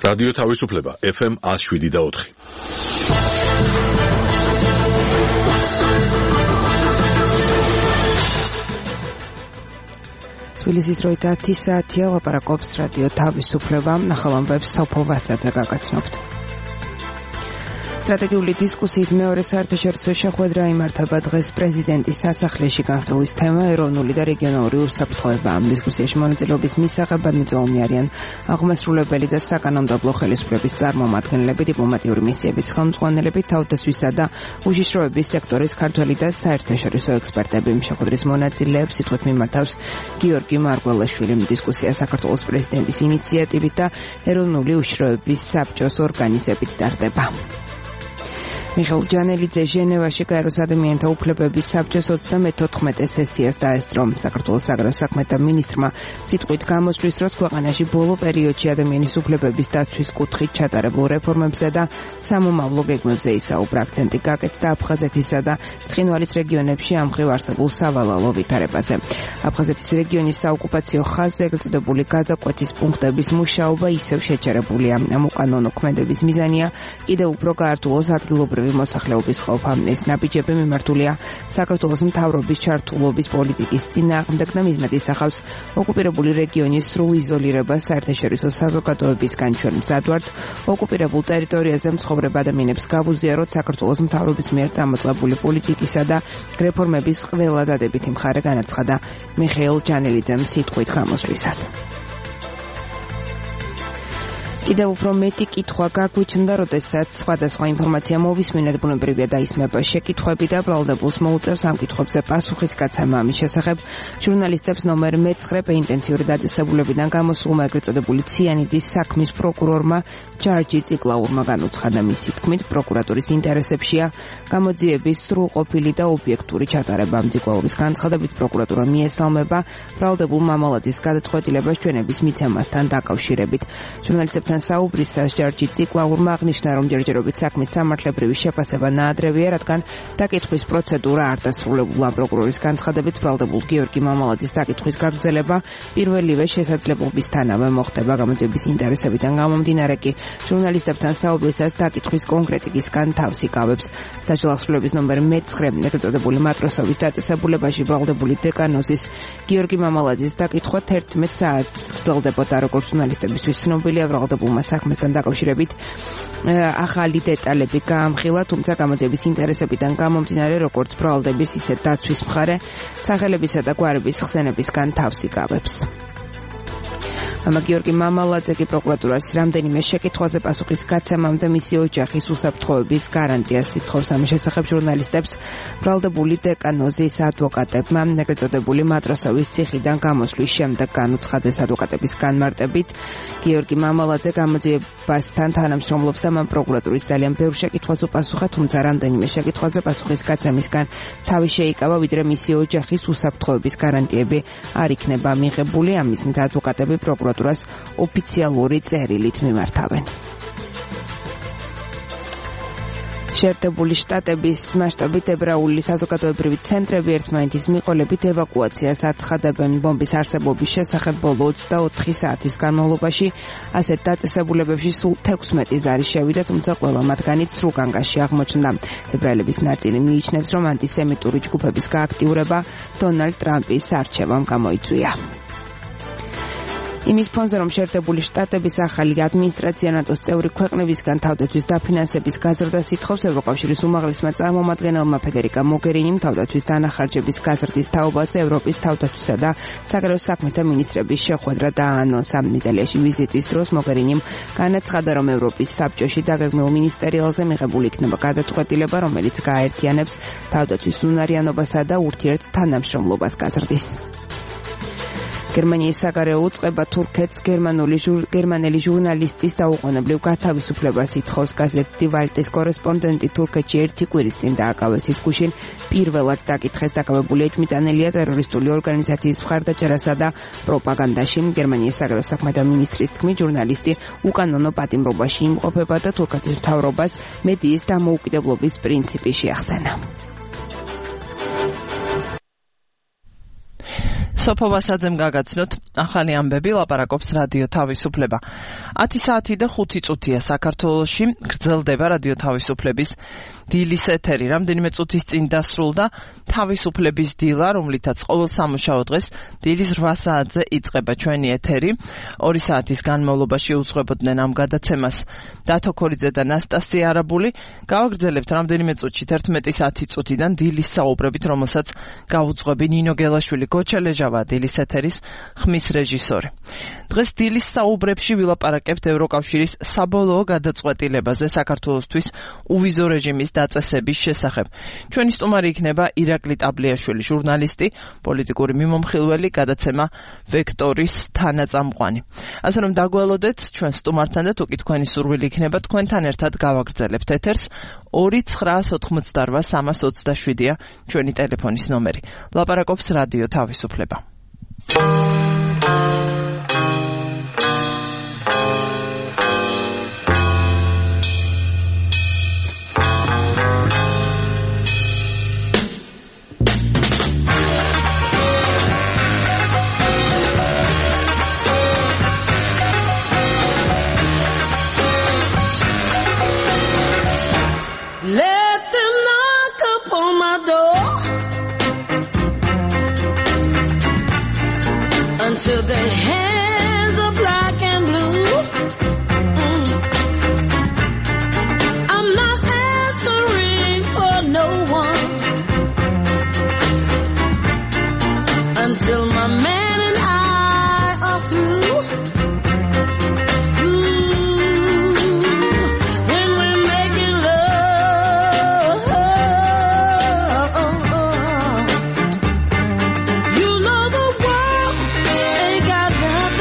რადიო თავისუფლება FM 107.4. თბილისის დროით 10 საათია, ლაპარაკობს რადიო თავისუფლება, ახალ ამბებს სოფო ვასაძე გაგაცნობთ. სტრატეგიული დისკუსიის მეორე საერთაშორისო შეხვედრა იმართება დღეს პრეზიდენტის სასახლეში. განხილვის თემა ეროვნული და რეგიონალური უსაფრთხოება. ამ დისკუსიაში მონაწილეობის მისაღებად მიწვეული არიან აღმასრულებელი და საკანონმდებლო ხელისუფლების წარმომადგენლები, დიპლომატიური მისიების ხელმძღვანელები, თავდაცვისა და უშიშროების სექტორის ქართველი და საერთაშორისო ექსპერტები. შეხვედრის მონაწილეებს სიტყვით მიმართავს გიორგი მარგველაშვილი. დისკუსია საქართველოს პრეზიდენტის ინიციატივით და ეროვნული უშიშროების საბჭოს ორგანიზებით ტარდება. მიხეილ ჯანელიძე ჟენევაში გაეროს ადამიანთა უფლებების საბჭოს 34 სესიას დაესწრო. საქართველოს საგარეო საქმეთა მინისტრმა სიტყვით გამოსვლის დროს ქვეყანაში ბოლო პერიოდში ადამიანის უფლებების დაცვის კუთხით ჩატარებულ რეფორმებზე და სამომავლო გეგმებზე ისაუბრა. აქცენტი გაკეთდა აფხაზეთისა და ცხინვალის რეგიონებში ამ მხრივ არსებულ სავალალო ვითარებაზე. აფხაზეთის რეგიონის საოკუპაციო ხაზზე ეგრეთ წოდებული გადაკვეთის პუნქტების მუშაობა ისევ შეჩერებულია. ამ უკანონო ქმედების მიზანია კიდევ უფრო გაართულოს ადგილობრივი მოსახლეობის ყოფა. ეს ნაბიჯები მიმართულია საქართველოს მთავრობის ჩართულობის პოლიტიკის წინააღმდეგ და მიზნად ისახავს ოკუპირებული რეგიონის სრულ იზოლირებას საერთაშორისო საზოგადოებისგან. ჩვენ მზადვართ ოკუპირებულ ტერიტორიაზე მცხოვრებ ადამიანებს გავუზიაროთ საქართველოს მთავრობის მიერ წამოწყებული პოლიტიკისა და რეფორმების ყველა დადებითი მხარე, განაცხადა მიხეილ ჯანელიძემ სიტყვით გამოსვლისას. კიდევ უფრო მეტი კითხვა გაგვიჩნდა, როდესაც სხვადასხვა ინფორმაცია მოვისმინეთ, ბუნებრივია დაისმება შეკითხვები და ბრალდებულს მოუწევს ამ კითხვებზე პასუხის გაცემა. ამის შესახებ ჟურნალისტებს ნომერ მე-9 პეინტენსიური დაწესებულებიდან გამოსულმა ეგრეთ წოდებული ციანიდის საქმის პროკურორმა ჯარჯი ციკლაურმა განუცხადა. მისი თქმით, პროკურატურის ინტერესებშია გამოძიების სრულყოფილი და ობიექტური ჩატარება. ციკლაურის განცხადებით, პროკურატურა მიესალმება ბრალდებულ მამალაძის გადაწყვეტილებას ჩვენების მიცემასთან დაკავშირებით. ჟურნალისტებთან საუბრისას ჯარჯი ციკლაურმა აღნიშნა, რომ ჯერჯერობით საქმის სამართლებრივი შეფასება ნაადრევია, რადგან დაკითხვის პროცედურა არ დასრულებულა. პროკურორის განცხადებით, ბრალდებულ გიორგი მამალაძის დაკითხვის გაგრძელება პირველივე შესაძლებლობისთანავე მოხდება. გამოძიების ინტერესებიდან გამომდინარე კი ჟურნალისტებთან საუბრისას დაკითხვის კონკრეტიკისგან თავს იკავებს. საჯელახსრულების ნომერ მე-9 ეგრეთ წოდებული მატროსოვის დაწესებულებაში ბრალდებული დეკანოზის გიორგი მამალაძის დაკითხვა 11 საათს გრძელდებოდა. როგორც ჟურნალისტებისთვის ცნობილია, ბრალდებულმა საქმესთან დაკავშირებით ახალი დეტალები გაამხილა, თუმცა გამოძიების ინტერესებიდან გამომდინარე, როგორც ბრალდების, ისე დაცვის მხარე სახელებისა და გვარების ხსენებისგან თავს იკავებს. გიორგი მამალაძე კი პროკურატურას რამდენიმე შეკითხვაზე პასუხის გაცემამდე მისი ოჯახის უსაფრთხოების გარანტიას ითხოვს. ამის შესახებ ჟურნალისტებს ბრალდებული დეკანოზის ადვოკატებმა ეგრეთ წოდებული მატროსოვის ციხიდან გამოსვლის შემდეგ განუცხადეს. ადვოკატების განმარტებით, გიორგი მამალაძე გამოძიებასთან თანამშრომლობს და მან პროკურატურის ძალიან ბევრ შეკითხვას უპასუხა, თუმცა რამდენიმე შეკითხვაზე პასუხის გაცემისგან თავი შეიკავა, ვიდრე მისი ოჯახის უსაფრთხოების გარანტიები არ იქნება მიღებული. ამის მით ადვოკატები პროკურატურას ოფიციალური წერილით მიმართავენ. შეერთებული შტატების მასშტაბით ებრაული საზოგადოებრივი ცენტრები ერთმანეთის მიყოლებით ევაკუაციას აცხადებენ. ბომბის არსებობის შესახებ ბოლო 24 საათის განმავლობაში ასეთ დაწესებულებებში სულ 16 ზარი შევიდა, თუმცა ყველა მათგანი ცრუგანგაში აღმოჩნდა. ებრაელების ნაწილი მიიჩნევს, რომ ანტისემიტური ჯგუფების გააქტიურება დონალდ ტრამპის არჩევამ გამოიწვია. იმის ფონზე, რომ შეერთებული შტატების ახალი ადმინისტრაცია ნატოს წევრი ქვეყნებისგან თავდაცვის დაფინანსების გაზრდას ითხოვს, ევროკავშირის უმაღლესმა წარმომადგენელმა ფედერიკა მოგერინიმ თავდაცვის დანახარჯების გაზრდის თაობაზე ევროპის თავდაცვისა და საგარეო საქმეთა მინისტრების შეხვედრა დააანონსა. იტალიაში ვიზიტის დროს მოგერინიმ განაცხადა, რომ ევროპის საბჭოში დაგეგმილ მინისტერიალზე მიღებული იქნება გადაწყვეტილება, რომელიც გააერთიანებს თავდაცვის უნარიანობასა და ურთიერთ თანამშრომლობას გაზრდის. გერმანიის საგარეო უწყება თურქეთს გერმანელი ჟურნალისტის დაუყოვნებლივ გათავისუფლებას ითხოვს. გაზეთ დი ვალტის კორესპონდენტი თურქეთში ერთი კვირის წინ დააკავეს. ის გუშინ პირველად დაკითხეს. დაკავებული ეჭმიტანელია ტერორისტული ორგანიზაციის მხარდაჭერასა და პროპაგანდაში. გერმანიის საგარეო საქმეთა მინისტრის თქმით, ჟურნალისტი უკანონო პატიმრობაში იმყოფება და თურქეთის მთავრობას მედიის დამოუკიდებლობის პრინციპი შეახსენა. სოფო ვასაძემ გაგაცნოთ ახალი ამბები, ლაპარაკობს რადიო თავისუფლება. 10 საათი და 5 წუთია საქართველოში გრძელდება რადიო თავისუფლების დილის ეთერი. რამდენიმე წუთის წინ დასრულდა თავისუფლების დილა, რომლითაც ყოველ სამუშაო დღეს დილის 8 საათზე იწყება ჩვენი ეთერი. 2 საათის განმავლობაში უძღვებოდნენ ამ გადაცემას დათო ქორიძე და ნასტასია არაბული. გავაგრძელებთ რამდენიმე წუთში 11 წუთიდან დილის საუბრებით, რომელსაც გაუძღვები ნინო გელაშვილი, გოჩელეჟავა დილის ეთერის ხმის რეჟისორი. დღეს დილის საუბრებში ვილაპარაკებთ ევროკავშირის საბოლოო გადაწყვეტილებაზე საქართველოსთვის უვიზო რეჟიმის დაწესების შესახებ. ჩვენი სტუმარი იქნება ირაკლი ტაბლიაშვილი, ჟურნალისტი, პოლიტიკური მიმომხილველი, გადაცემა ვექტორის თანაწამყვანი. ასე რომ დაგველოდეთ ჩვენ სტუმართან და თუკი თქვენი სურვილი იქნება თქვენთან ერთად გავაგრძელებთ ეთერს. 2988327-ია ჩვენი ტელეფონის ნომერი. ლაპარაკობს რადიო თავისუფლება. Let them knock upon my door until their hands are black and blue. I'm not answering for no one until my man and I are through. When we're making love, you know the world ain't got nothing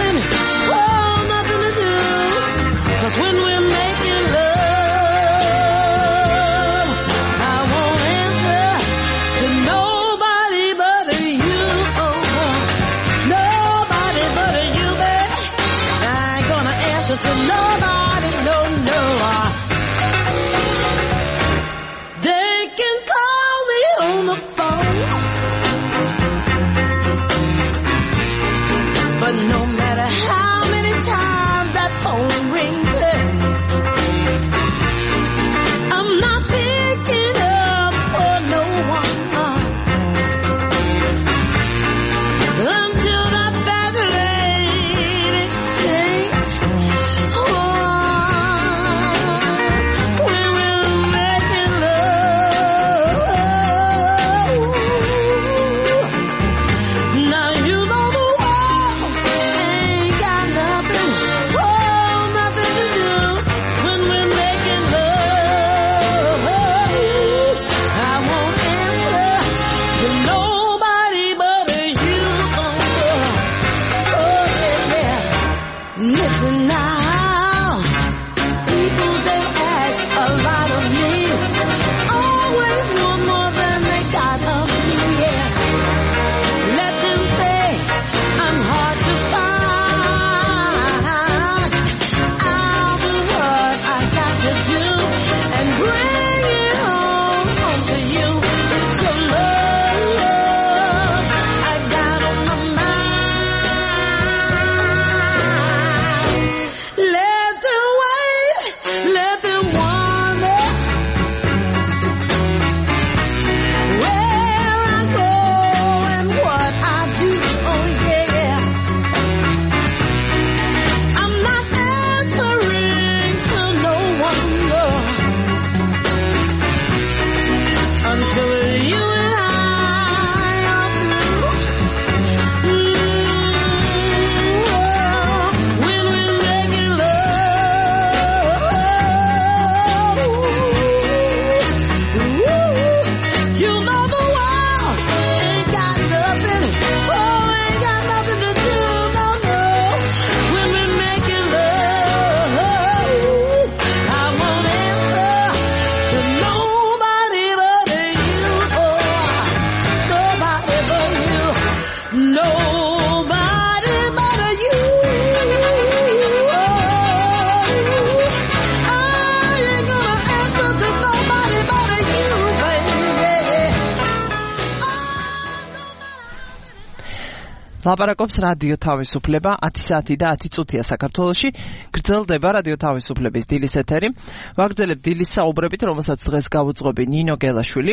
ლაპარაკობს რადიო თავისუფლება 10 საათი და 10 წუთია საქართველოში. გრძელდება რადიო თავისუფლების დილის ეთერი. ვაგრძელებთ დილის საუბრებით, რომელსაც დღეს გავუძღვები ნინო გელაშვილი.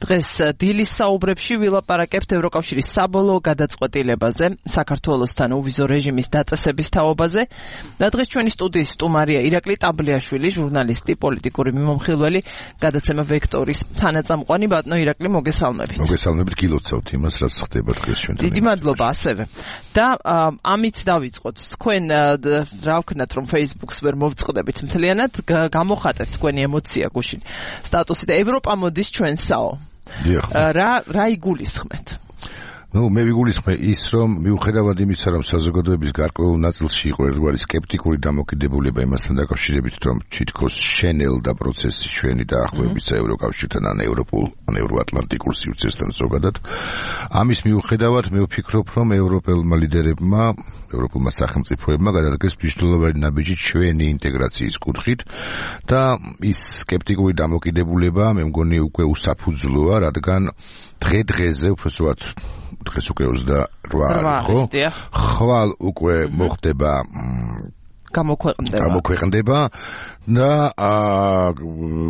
დღეს დილის საუბრებში ვილაპარაკებთ ევროკავშირის საბოლოო გადაწყვეტილებაზე, საქართველოსთან უვიზო რეჟიმის დაწესების თაობაზე. და დღეს ჩვენი სტუდიის სტუმარია ირაკლი ტაბლიაშვილი, ჟურნალისტი, პოლიტიკური მიმომხილველი, გადაცემა ვექტორის თანაწამყვანი. ბატონო ირაკლი, მოგესალმებით. მოგესალმებით, გილოცავთ იმას, რაც ხდება დღეს ჩვენთან. დიდი მადლობა ასევე. და ამით დავიწყოთ. თქვენ რა ვქნათ, რომ Facebook-ს ვერ მოვწყდებით მთლიანად, გამოხატეთ თქვენი ემოცია გუშინ სტატუსი და ევროპა მოდის ჩვენსაო. რა იგულისხმეთ? მე ვიგულისხმე ის, რომ მიუხედავად იმისა, რომ საზოგადოების გარკვეულ ნაწილში იყო ერთგვარი სკეპტიკური დამოკიდებულება იმასთან დაკავშირებით, რომ თითქოს შენელდა პროცესი ჩვენი დაახლოებისა ევროკავშირთან ან ევროპულ, ან ევროატლანტიკურ სივრცესთან ზოგადად. ამის მიუხედავად მე ვფიქრობ, რომ ევროპელმა ლიდერებმა, ევროპულმა სახელმწიფოებმა გადადგეს მნიშვნელოვანი ნაბიჯი ჩვენი ინტეგრაციის კუთხით და ის სკეპტიკური დამოკიდებულება მე მგონი უკვე უსაფუძვლოა, რადგან დღე-დღეზე უბრალოდ დღეს უკვე 28 ხო? ხვალ უკვე მოხდება გამოქვეყნდება და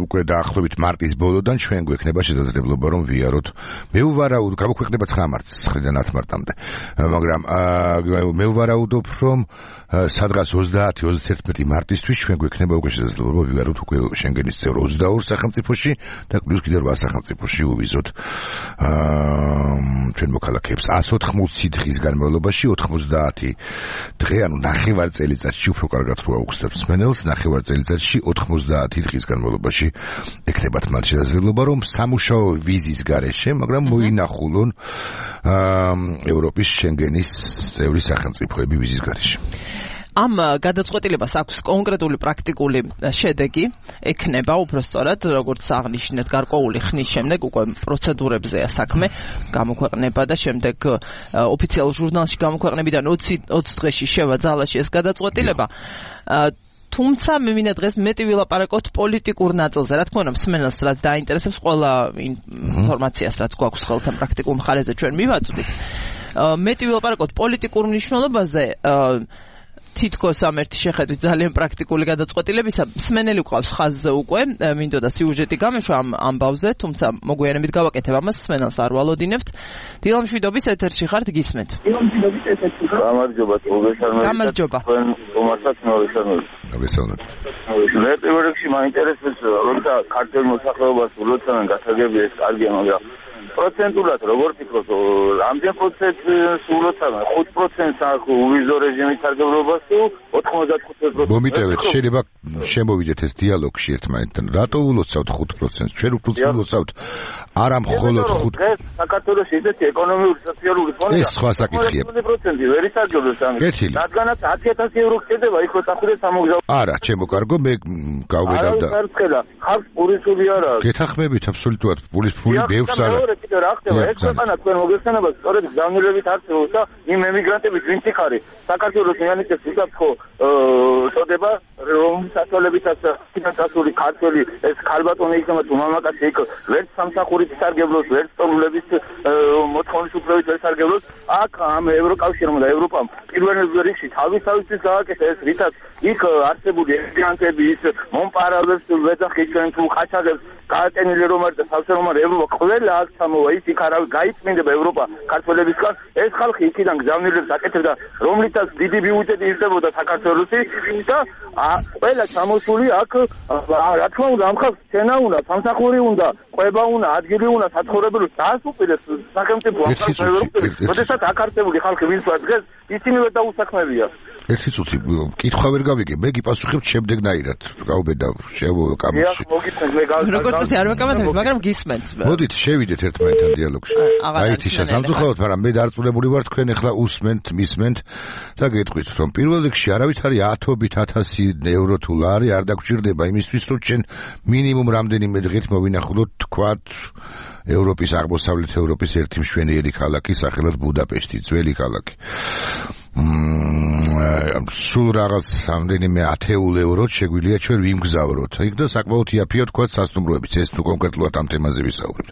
უკვე დაახლოებით მარტის ბოლოდან ჩვენ გვექნება შესაძლებლობა რომ ვიაროთ. მე ვვარაუდ გამოქვეყნება 9 მარტს 9-დან 10 მარტამდე. მაგრამ მე ვვარაუდობ რომ სადღაც 30-31 მარტისთვის ჩვენ გვექნება უკვე შესაძლებლობა ვიაროთ უკვე შენგენის წევრ 22 სახელმწიფოში და პლუს კიდევ 8 სახელმწიფოში უვიზოთ ჩვენ მოქალაქეებს 180 დღის განმავლობაში 90 დღე ანუ ნახევარ წელიწადში უფრო კარგად რო აუხსნებს მენელს ნახევარ წელიწადში 90 დღის განმავლობაში ეკნებათ მათ შესაძლებლობა რომ სამუშაო ვიზის გარეშე მაგრამ მოინახულონ ევროპის შენგენის წევრი სახელმწიფოები ვიზის გარეშე. ამ გადაწყვეტილებას აქვს კონკრეტული პრაქტიკული შედეგი, ექნება უბრალოდ როგორც აღნიშნეთ გარკვეული ხნის შემდეგ უკვე პროცედურებზეა საქმე, გამოქვეყნება და შემდეგ ოფიციალურ ჟურნალში გამოქვეყნებიდან 20 დღეში შევა ძალაში ეს გადაწყვეტილება. თუმცა მე მინდა დღეს მეტი ვილაპარაკოთ პოლიტიკურ ნაწილზე. რა თქმა უნდა, მსმენელს რაც დაინტერესებს ყველა ინფორმაციას, რაც გვაქვს ხელთან პრაქტიკულ მხარეზე ჩვენ მივაწვდით. მეტი ვილაპარაკოთ პოლიტიკურ მნიშვნელობაზე. თითქოს ამ ერთი შეხედვით ძალიან პრაქტიკული გადაწყვეტილებისა მსმენელი ყავს ხაზზე უკვე მინდოდა სიუჟეტი გამეშვა ამ ამბავზე, თუმცა მოგვიანებით გავაკეთებ ამას, მსმენელს არ ვალოდინებთ. დილამშვიდობის ეთერში ხართ, გისმენთ. გამარჯობა, გამარჯობა. მოგესალმებით. მე პირველ რიგში მაინტერესებს როცა ქართულ მოსახლეობას ულოცავენ გასაგები ეს კარგია, მაგრამ პროცენტულად როგორ ფიქრობთ, რამდენ პროცენტს ულოცავენ? 5%-ს აქვს უვიზო რეჟიმის სარგებლობას თუ 95%-ს? მომიტევეთ, შეიძლება შემოვიდეთ ეს დიალოგში ერთმანეთთან. რატო ულოცავთ 5%-ს? ჩვენ უფრო ულოცავთ არა მხოლოდ 5%. დღეს საქართველოში ისეთი ეკონომიური სოციალური ფონია. ეს სხვა საკითხია. 5% ვერ ისარგებლოს ამით. რადგანაც 10,000 евро ხდება იქ რო წახვიდე სამოგზაურო. არა, ჩემო კარგო, მე გავგედავ და ხალხ პურისული არა. გეთახმებით აბსოლუტურად პურის ბევრს არა. რა ხდება ეს ქვეყანა თქვენ მოგეხსენებათ სწორედ გზავნილებით არსებობს და იმ ემიგრანტების ვინც იქ არის საქართველოს მიანიჭებს უსაფრთხო წოდება რომლის საშუალებითაც ფინანსური ქართველი ეს ქალბატონი იქნება თუ მამაკაცი იქ ვერც სამსახურით სარგებლოს ვერც სტუმრების მოთხოვნის უფლებით ვერ სარგებლოს. აქ ამ ევროკავშირმა და ევროპამ პირველ რიგში თავისთავისთვის გააკეთა ეს რითაც იქ არსებული ემიგრანტები ის მომპარავებს ვეძახიჩენ თუ ხაჩაღებს გააკენილი რომ არის და სავსე რომ არის ევროპა ყველა აქ ჩამოვა ის იქ არავის გაიწმინდება ევროპა ქართველებისგან ეს ხალხი იქიდან გზავნილებს აკეთებდა რომლითაც დიდი ბიუჯეტი ირდებოდა საქართველოსი და ყველა ჩამოსული აქ რა თქმა უნდა ამ ხალხს ცენა უნდა სამსახური უნდა ყვება უნდა ადგილი უნდა საცხოვრებელი დაასუპირებს სახელმწიფო ევროპის როდესაც აქ არსებული ხალხი ვინც დღეს ისინივე დაუსაქმებია. ერთი წუთი კითხვა ვერ გავიგე, მე გიპასუხებ შემდეგნაირად. გავბედავ შემოვაკამოში. როგორც ისე არ ვაკამათებ, მაგრამ გისმენთ. მოდით შევიდეთ ერთმანეთთან დიალოგში. აიცი შესამძუხავთ, მაგრამ მე დარწმუნებული ვარ თქვენ ახლა უსმენთ, მისმენთ და გეტყვით, რომ პირველ რიგში არავითარი 10,000 евро თუ ლარი არ დაგჭირდება იმისთვის, რომ ჩვენ მინიმუმ რამდენიმე დღით მოვინახულოთ თქვათ ევროპის აღმოსავლეთ ევროპის ერთი მშვენიერი ქალაქი სახელად ბუდაპეშტი, ძველი ქალაქი. სულ რაღაც რამდენიმე 10 ევროთ შეგვიძლია ჩვენ ვიმგზავროთ. იქ და საკმაოდ იაფია თქვა სასტუმროებიც, ეს თუ კონკრეტულად ამ თემაზე ვისაუბრებთ.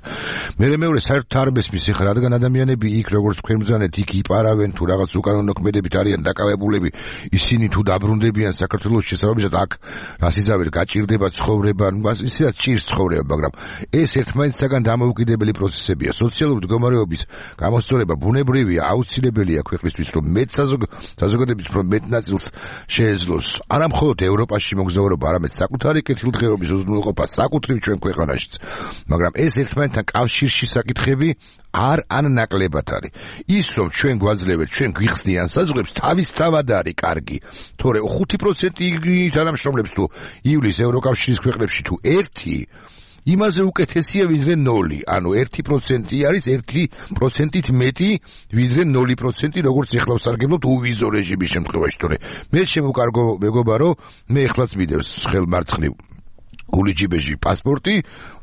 მეორე საერთოდ არ მესმის ხარ, რადგან ადამიანები იქ როგორც თქვენ ბრძანეთ, იქ იპარავენ თუ რაღაც უკანონო ქმედებით არიან დაკავებულები, ისინი თუ დაბრუნდებიან საქართველოს შესაბამისად აქ რასიზავერ გაჭირდება ცხოვრება, ისედაც ჭირს ცხოვრება, მაგრამ ეს ერთმანეთისაგან დამოუკიდებელი პროცესებია. სოციალური მდგომარეობის გამოსწორება ბუნებრივია, აუცილებელია ქვეყნისთვის, რომ საზოგადოების მეტ ნაწილს შეეძლოს. არა მხოლოდ ევროპაში მოგზაურობა, არამედ საკუთარი კეთილდღეობის უზრუნველყოფა საკუთრივ ჩვენ ქვეყანაშიც. მაგრამ ეს ერთმანეთთან კავშირში საკითხები არ ნაკლებად არის. ის რომ ჩვენ გვაძლევთ, ჩვენ გვიხსნიან საზღვრებს, თავისთავად არის კარგი. თორე 5% თანამშრომლებს თუ ივლის ევროკავშირის ქვეყნებში თუ 1 იმაზე უკეთესია ვიდრე 0. ანუ 1% არის 1%-ით მეტი ვიდრე 0%, როგორც ეხლა ვსარგებლობთ უვიზო რეჟიმის შემთხვევაში. თორე მე შემოვკარგო მეგობარო, მე ეხლაც მიდევს ხელმარცხნივ გულიჯიბეჟი პასპორტი,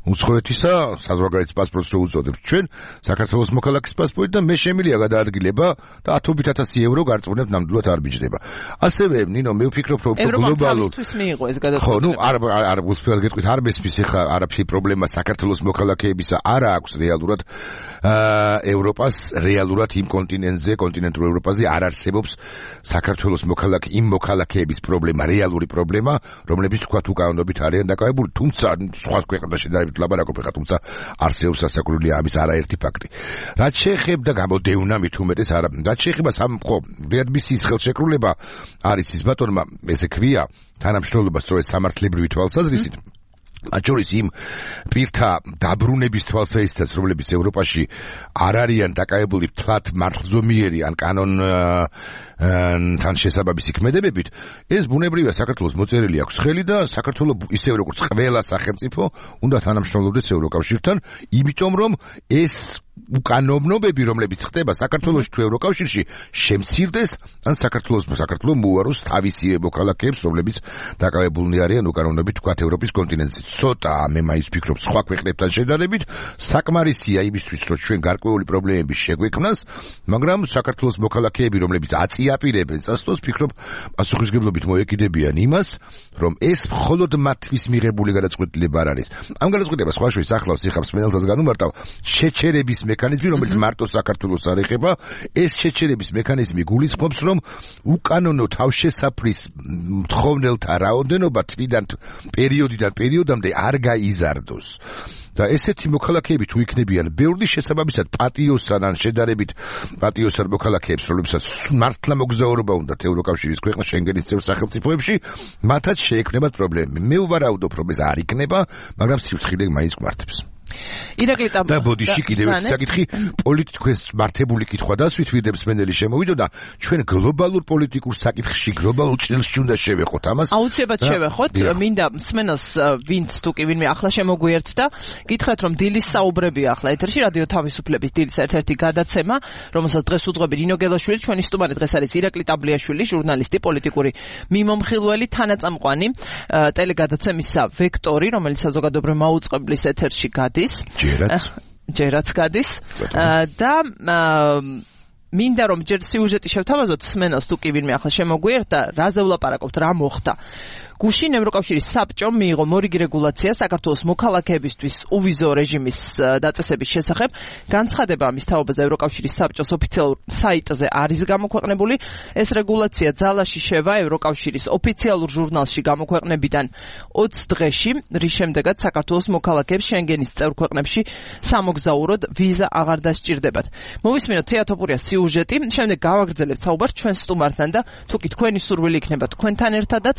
უცხოეთისა საზღვარგარეთის პასპორტს რო უწოდებთ ჩვენ, საქართველოს მოქალაქის პასპორტი და მე შემიძლია გადაადგილება და 10,000 евро გარწმუნებთ ნამდვილად არ მიჯდება. ასევე ნინო მე ვფიქრობ რომ გლობალურ მიიღო ეს გადაწყვეტილება. ხო, ნუ არ გულწრფელად გეტყვით, არ მესმის ხა არაფერი პრობლემა საქართველოს მოქალაქეებისა არა აქვს რეალურად ევროპას რეალურად იმ კონტინენტურ ევროპაზე არ არსებობს საქართველოს იმ მოქალაქეების პრობლემა, რეალური პრობლემა, რომლებიც თქვათ უკანონობით არიან დაკავებული, თუმცა სხვა ქვეყნებში ლაბარაკობ ხა, თუმცა არსებობს ასაკურველი ამის არაერთი ფაქტი. რაც შეეხება გამოდევნა მით უმეტეს არა, რაც შეეხება ხო, რეადმისიის ხელშეკრულება არის ის ბატონმა, ესე ქვია, თანამშრომლობა სწორედ სამართლებრივი თვალსაზრისით. მათ შორის იმ პირთა დაბრუნების თვალსაზრისითაც, რომლებიც ევროპაში არ არიან დაკავებული თლათ მართლზომიერი ან კანონთან შესაბამისი ქმედებებით, ეს ბუნებრივია საქართველოს მოწერილი აქვს ხელი და საქართველოს ისევე როგორც ყველა სახელმწიფო უნდა თანამშრომლობდეს ევროკავშირთან, იმიტომ რომ ეს უკანონობები, რომლებიც ხდება საქართველოში თუ ევროკავშირში, შემცირდეს ან საქართველოს მოუაროს თავისი მოქალაქეებს, რომლებიც დაკავებულნი არიან უკანონობით თქვათ ევროპის კონტინენტზე. ცოტა მე მაინც ვფიქრობ სხვა ქვეყნებთან შედარებით საკმარისია იმისთვის, რომ ჩვენ გარკვეული პრობლემები შეგვექმნას, მაგრამ საქართველოს მოქალაქეები, რომლებიც აწიაპირებენ წასვლას, ვფიქრობ პასუხისმგებლობით მოეკიდებიან იმას, რომ ეს მხოლოდ მათთვის მიღებული გადაწყვეტილება არ არის. ამ გადაწყვეტილებას სხვა შორის ახლავს ეხლა მსმენელსაც განუმარტავ შეჩერების მექანიზმი, რომელიც მარტო საქართველოს არ ეხება. ეს შეჩერების მექანიზმი გულისხმობს, რომ უკანონო თავშესაფრის მთხოვნელთა რაოდენობა თვიდან პერიოდამდე არ გაიზარდოს. და ესეთი მოქალაქეები თუ იქნებიან ბევრი, შესაბამისად პატიოსთან ან შედარებით პატიოსთან მოქალაქეებს, რომლებსაც მართლა მოგზაურობა უნდათ ევროკავშირის ქვეყნ შენგენის წევრ სახელმწიფოებში, მათაც შეექმნებათ პრობლემები. მე ვარაუდობ, რომ ეს არ იქნება, მაგრამ სივრცილე მაინც გვართებს. ირაკლი და ბოდიში კიდევ ერთი საკითხი, პოლიტიკოს მართებული კითხვა დასვით ვიდებს მენელი შემოვიდო და ჩვენ გლობალურ პოლიტიკურ საკითხში, გლობალურ ჭრილში უნდა შევეხოთ ამას. აუცილებლად შევეხოთ. მინდა მსმენელს ვინც თუ კი ვინმე ახლა შემოგვიერთდა, გითხრათ რომ დილის საუბრებია ახლა ეთერში რადიო თავისუფლების დილის ერთ-ერთი გადაცემა, რომელსაც დღეს უძღვები ნინო გელაშვილი, ჩვენი სტუმარი დღეს არის ირაკლი ტაბლიაშვილი, ჟურნალისტი, პოლიტიკური მიმომხილველი, თანაწამყვანი ტელეგადაცემისა ვექტორი, რომელიც საზოგადოებრივ მაუწყებლის ეთერში გადის. ჯერაც გადის და მინდა რომ ჯერ სიუჟეტი შევთავაზოთ მსმენელს თუ კი ვინმე ახლა შემოგვიერთდა, რაზე ვლაპარაკობთ, რა მოხდა. გუშინ ევროკავშირის საბჭომ მიიღო მორიგი რეგულაცია საქართველოს მოქალაქეებისთვის უვიზო რეჟიმის დაწესების შესახებ. განცხადება ამის თაობაზე ევროკავშირის საბჭოს ოფიციალურ საიტზე არის გამოქვეყნებული. ეს რეგულაცია ძალაში შევა ევროკავშირის ოფიციალურ ჟურნალში გამოქვეყნებიდან 20 დღეში, რის შემდეგაც საქართველოს მოქალაქეებს შენგენის წევრ ქვეყნებში სამოგზაუროდ ვიზა აღარ დასჭირდებათ. მოვისმინოთ თეატოპურიას სიუჟეტი, შემდეგ გავაგრძელებთ საუბარს ჩვენ სტუმართან და თუ კი თქვენი სურვილი იქნება თქვენთან ერთადაც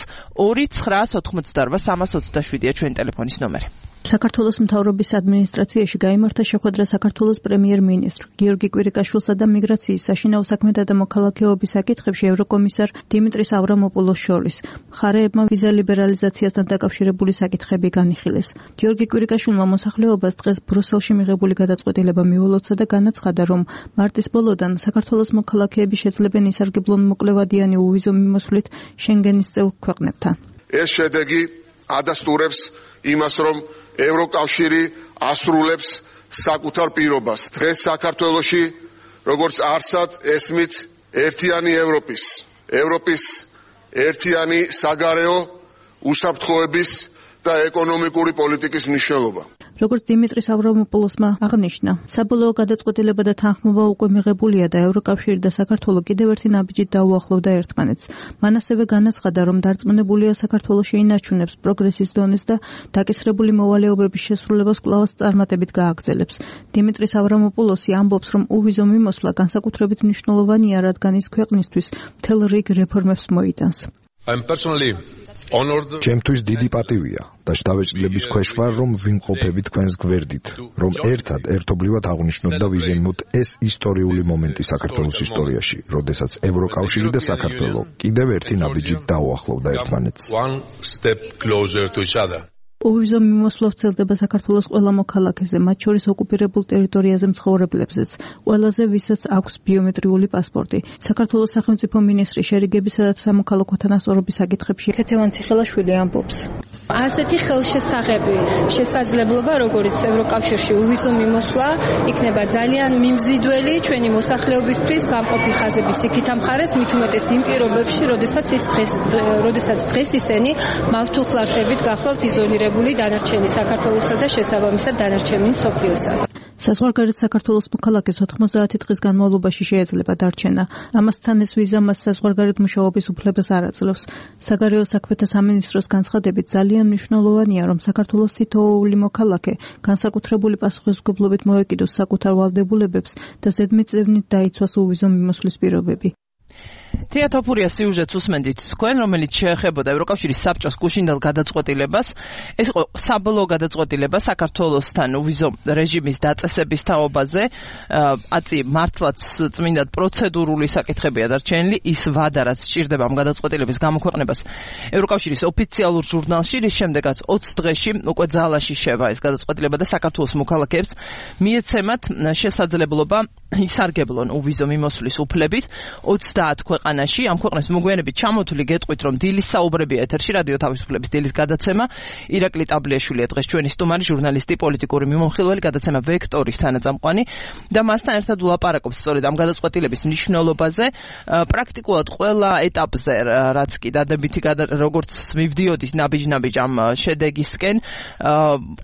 2-988-327-ია ჩვენი ტელეფონის ნომერი. საქართველოს მთავრობის ადმინისტრაციაში გაიმართა შეხვედრა საქართველოს პრემიერ-მინისტრ გიორგი კვირიკაშვილსა და მიგრაციის, საშინაო საქმეთა და მოქალაქეობის საკითხებში ევროკომისარ დიმიტრის ავრამოპულოს შორის. მხარეებმა ვიზა ლიბერალიზაციასთან დაკავშირებული საკითხები განიხილეს. გიორგი კვირიკაშვილმა მოსახლეობას დღეს ბრუსელში მიღებული გადაწყვეტილება მიულოცა და განაცხადა, რომ მარტის ბოლოდან საქართველოს მოქალაქეები შეძლებენ ისარგებლონ მოკლევადიანი უვიზო მიმოსვლით შენგენის წევრ ქვეყნებთან. ეს შედეგი ადასტურებს იმას, რომ ევროკავშირი ასრულებს საკუთარ პირობას. დღეს საქართველოში, როგორც არსად ესმით ერთიანი ევროპის ევროპის ერთიანი საგარეო უსაფრთხოების და ეკონომიკური პოლიტიკის მნიშვნელობა. როგორც დიმიტრის ავრამოპულოსმა აღნიშნა, საბოლოო გადაწყვეტილება და თანხმობა უკვე მიღებულია და ევროკავშირი და საქართველო კიდევ ერთი ნაბიჯით დაუახლოვდა ერთმანეთს. მან ასევე განაცხადა, რომ დარწმუნებულია საქართველოს შეინარჩუნებს პროგრესის დონეს და დაკისრებული მოვალეობების შესრულებას კვლავაც წარმატებით გააგრძელებს. დიმიტრის ავრამოპულოსი ამბობს, რომ უვიზო მიმოსვლა განსაკუთრებით მნიშვნელოვანია, რადგან ის ქვეყნისთვის მთელ რიგ რეფორმებს მოიტანს. ჩემთვის დიდი პატივია და შთაბეჭდილების ქვეშ ვარ, რომ ვიმყოფები თქვენს გვერდით, რომ ერთად ერთობლივად აღვნიშნოთ და ვიზემოთ ეს ისტორიული მომენტი საქართველოს ისტორიაში, როდესაც ევროკავშირი და საქართველო კიდევ ერთი ნაბიჯით დაუახლოვდა ერთმანეთს. უვიზო მიმოსვლა ვრცელდება საქართველოს ყველა მოქალაქეზე, მათ შორის ოკუპირებულ ტერიტორიაზე მცხოვრებლებზეც, ყველაზე ვისაც აქვს ბიომეტრიული პასპორტი. საქართველოს სახელმწიფო მინისტრი შერიგებისა და სამოქალაქო თანასწორობის საკითხებში ქეთევან ციხელაშვილი ამბობს. ასეთი ხელშესაღები შესაძლებლობა, როგორც ევროკავშირში უვიზო მიმოსვლა, იქნება ძალიან მიმზიდველი ჩვენი მოსახლეობისთვის გამყოფი ხაზების იქით ამხარეს, მით უმეტეს იმ პირობებში, როდესაც დღეს ისინი მავთულხლართებით გახლავთ იზოლირებული დანარჩენი საქართველოსა და შესაბამისად დანარჩენი მსოფლიოსა. საზღვარგარეთ საქართველოს მოქალაქეს 90 დღის განმავლობაში შეიძლება დარჩენა. ამასთან ეს ვიზა მას საზღვარგარეთ მუშაობის უფლებას არ აძლევს. საგარეო საქმეთა სამინისტროს განცხადებით ძალიან მნიშვნელოვანია, რომ საქართველოს თითოეული მოქალაქე განსაკუთრებული პასუხისმგებლობით მოეკიდოს საკუთარ ვალდებულებებს და ზედმიწევნით დაიცვას უვიზო მიმოსვლის პირობები. თეატოფურია სიუჟეტს უსმენდით თქვენ, რომელიც შეეხებოდა ევროკავშირის საბჭოს გუშინდელ გადაწყვეტილებას. ეს იყო საბოლოო გადაწყვეტილება საქართველოსთან უვიზო რეჟიმის დაწესების თაობაზე. აწი მართლაც წმინდად პროცედურული საკითხებია დარჩენილი. ის ვადა, რაც სჭირდება ამ გადაწყვეტილების გამოქვეყნებას ევროკავშირის ოფიციალურ ჟურნალში, რის შემდეგაც 20 დღეში უკვე ძალაში შევა ეს გადაწყვეტილება და საქართველოს მოქალაქეებს მიეცემათ შესაძლებლობა ისარგებლონ უვიზო მიმოსვლის უფლებით 30 ქვეყანაში. ამ ქვეყნებს მოგვიანებით ჩამოთვლი გეტყვით, რომ დილის საუბრებია ეთერში რადიო თავისუფლების დილის გადაცემა. ირაკლი ტაბლიაშვილია დღეს ჩვენი სტუმარი, ჟურნალისტი, პოლიტიკური მიმოხილველი, გადაცემა ვექტორის თანაწამყვანი და მასთან ერთად ვლაპარაკობს სწორედ ამ გადაწყვეტილების მნიშვნელობაზე. პრაქტიკულად ყველა ეტაპზე, რაც კი დადებითი როგორც მივდიოდით ნაბიჯ-ნაბიჯ ამ შედეგისკენ,